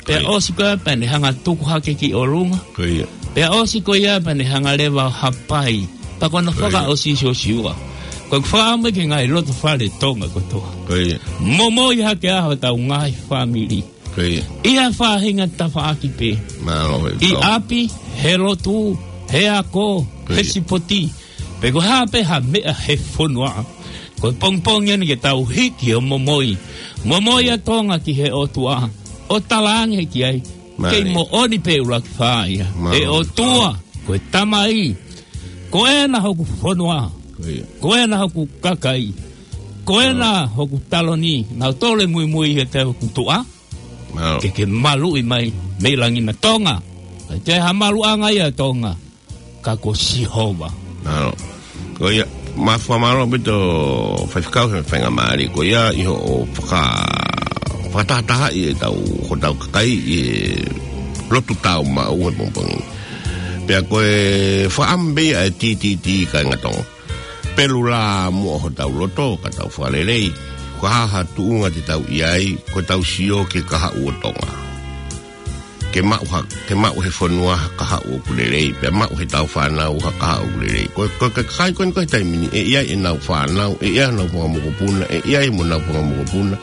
Pea, ko ia, ʻosi ko ia pea ne hanga tuku hake ki ʻolunga. Ko ia. Pea ʻosi ko ia pea ne hanga leva ʻo hapai. Pea ko hono, ko ia, fakaʻosi, Siosiua, ko ʻeku fakaʻamu ki he ngaahi loto fale Tonga kotoa. Ko ia. Momoi hake ʻa hotau ngaahi fāmili. Ko ia. ʻI ha faʻahinga tafaʻaki pē. Mālō, ʻi, mālō, ʻapi, he lotu, he ako, ko ia, he sipoti. Pe ko e hā pē ha meʻa he fonua. Ko e pongipongi eni ke tau hiki ʻo momoi. Momoi ʻa Tonga ki he ʻOtua. ʻO talaange ki ai. Mālie. Kei moʻoni pē, ʻUluaki Fā, ia. Mālō. ʻE ʻOtua, ko e Tamai. Ko ena hoku fonua. Ko ia. Ko ena hoku kakai. Ko ena, mālō, hoku taloni. Naʻa tole muimui he te hoku tuʻa. Mālō. Ke ke maluʻi mai mei langi na, Tonga. ʻIkai ha maluʻanga ia ʻa Tonga, ka ko Sihova. Mālō. Ko ia, ma fakamālō ʻaupito Faifekau he faingamālie ko ia ʻi hoʻo faka-, fakatahatahaʻi ʻetau, hotau kakai ʻi he lotu tāumaʻu he pongipongi. Pea ko e fakaʻamu pē ia ʻa e T T T, kāinga Tonga. Pelu lā muʻa hotau loto, ka tau fakalelei. Ko e hā ha tuʻunga te tau ʻi ai, ko ʻetau sio ki he kahaʻu ʻo Tonga. Ke maʻu ha, ke maʻu he fonua ha kahaʻu ʻoku lelei, pea maʻu heʻetau fānau ha kahaʻu ʻoku lelei. Ko, ko e kakai ko eni ko e taimi ni, ʻe ʻi ai ʻenau fānau, ʻe ʻi ai ʻenau fanga mokopuna, ʻe ʻi ai mo ʻenau fanga mokopuna,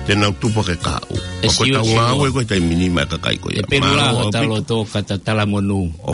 te nau tupu hake kahaʻu. ʻE, ko ʻetau, Siosiua, ngāue ko e taimi ni maʻa e kakai ko ia. ʻE pelu lā, mālō, hotau ʻaupito loto ka ta talamonū. ʻO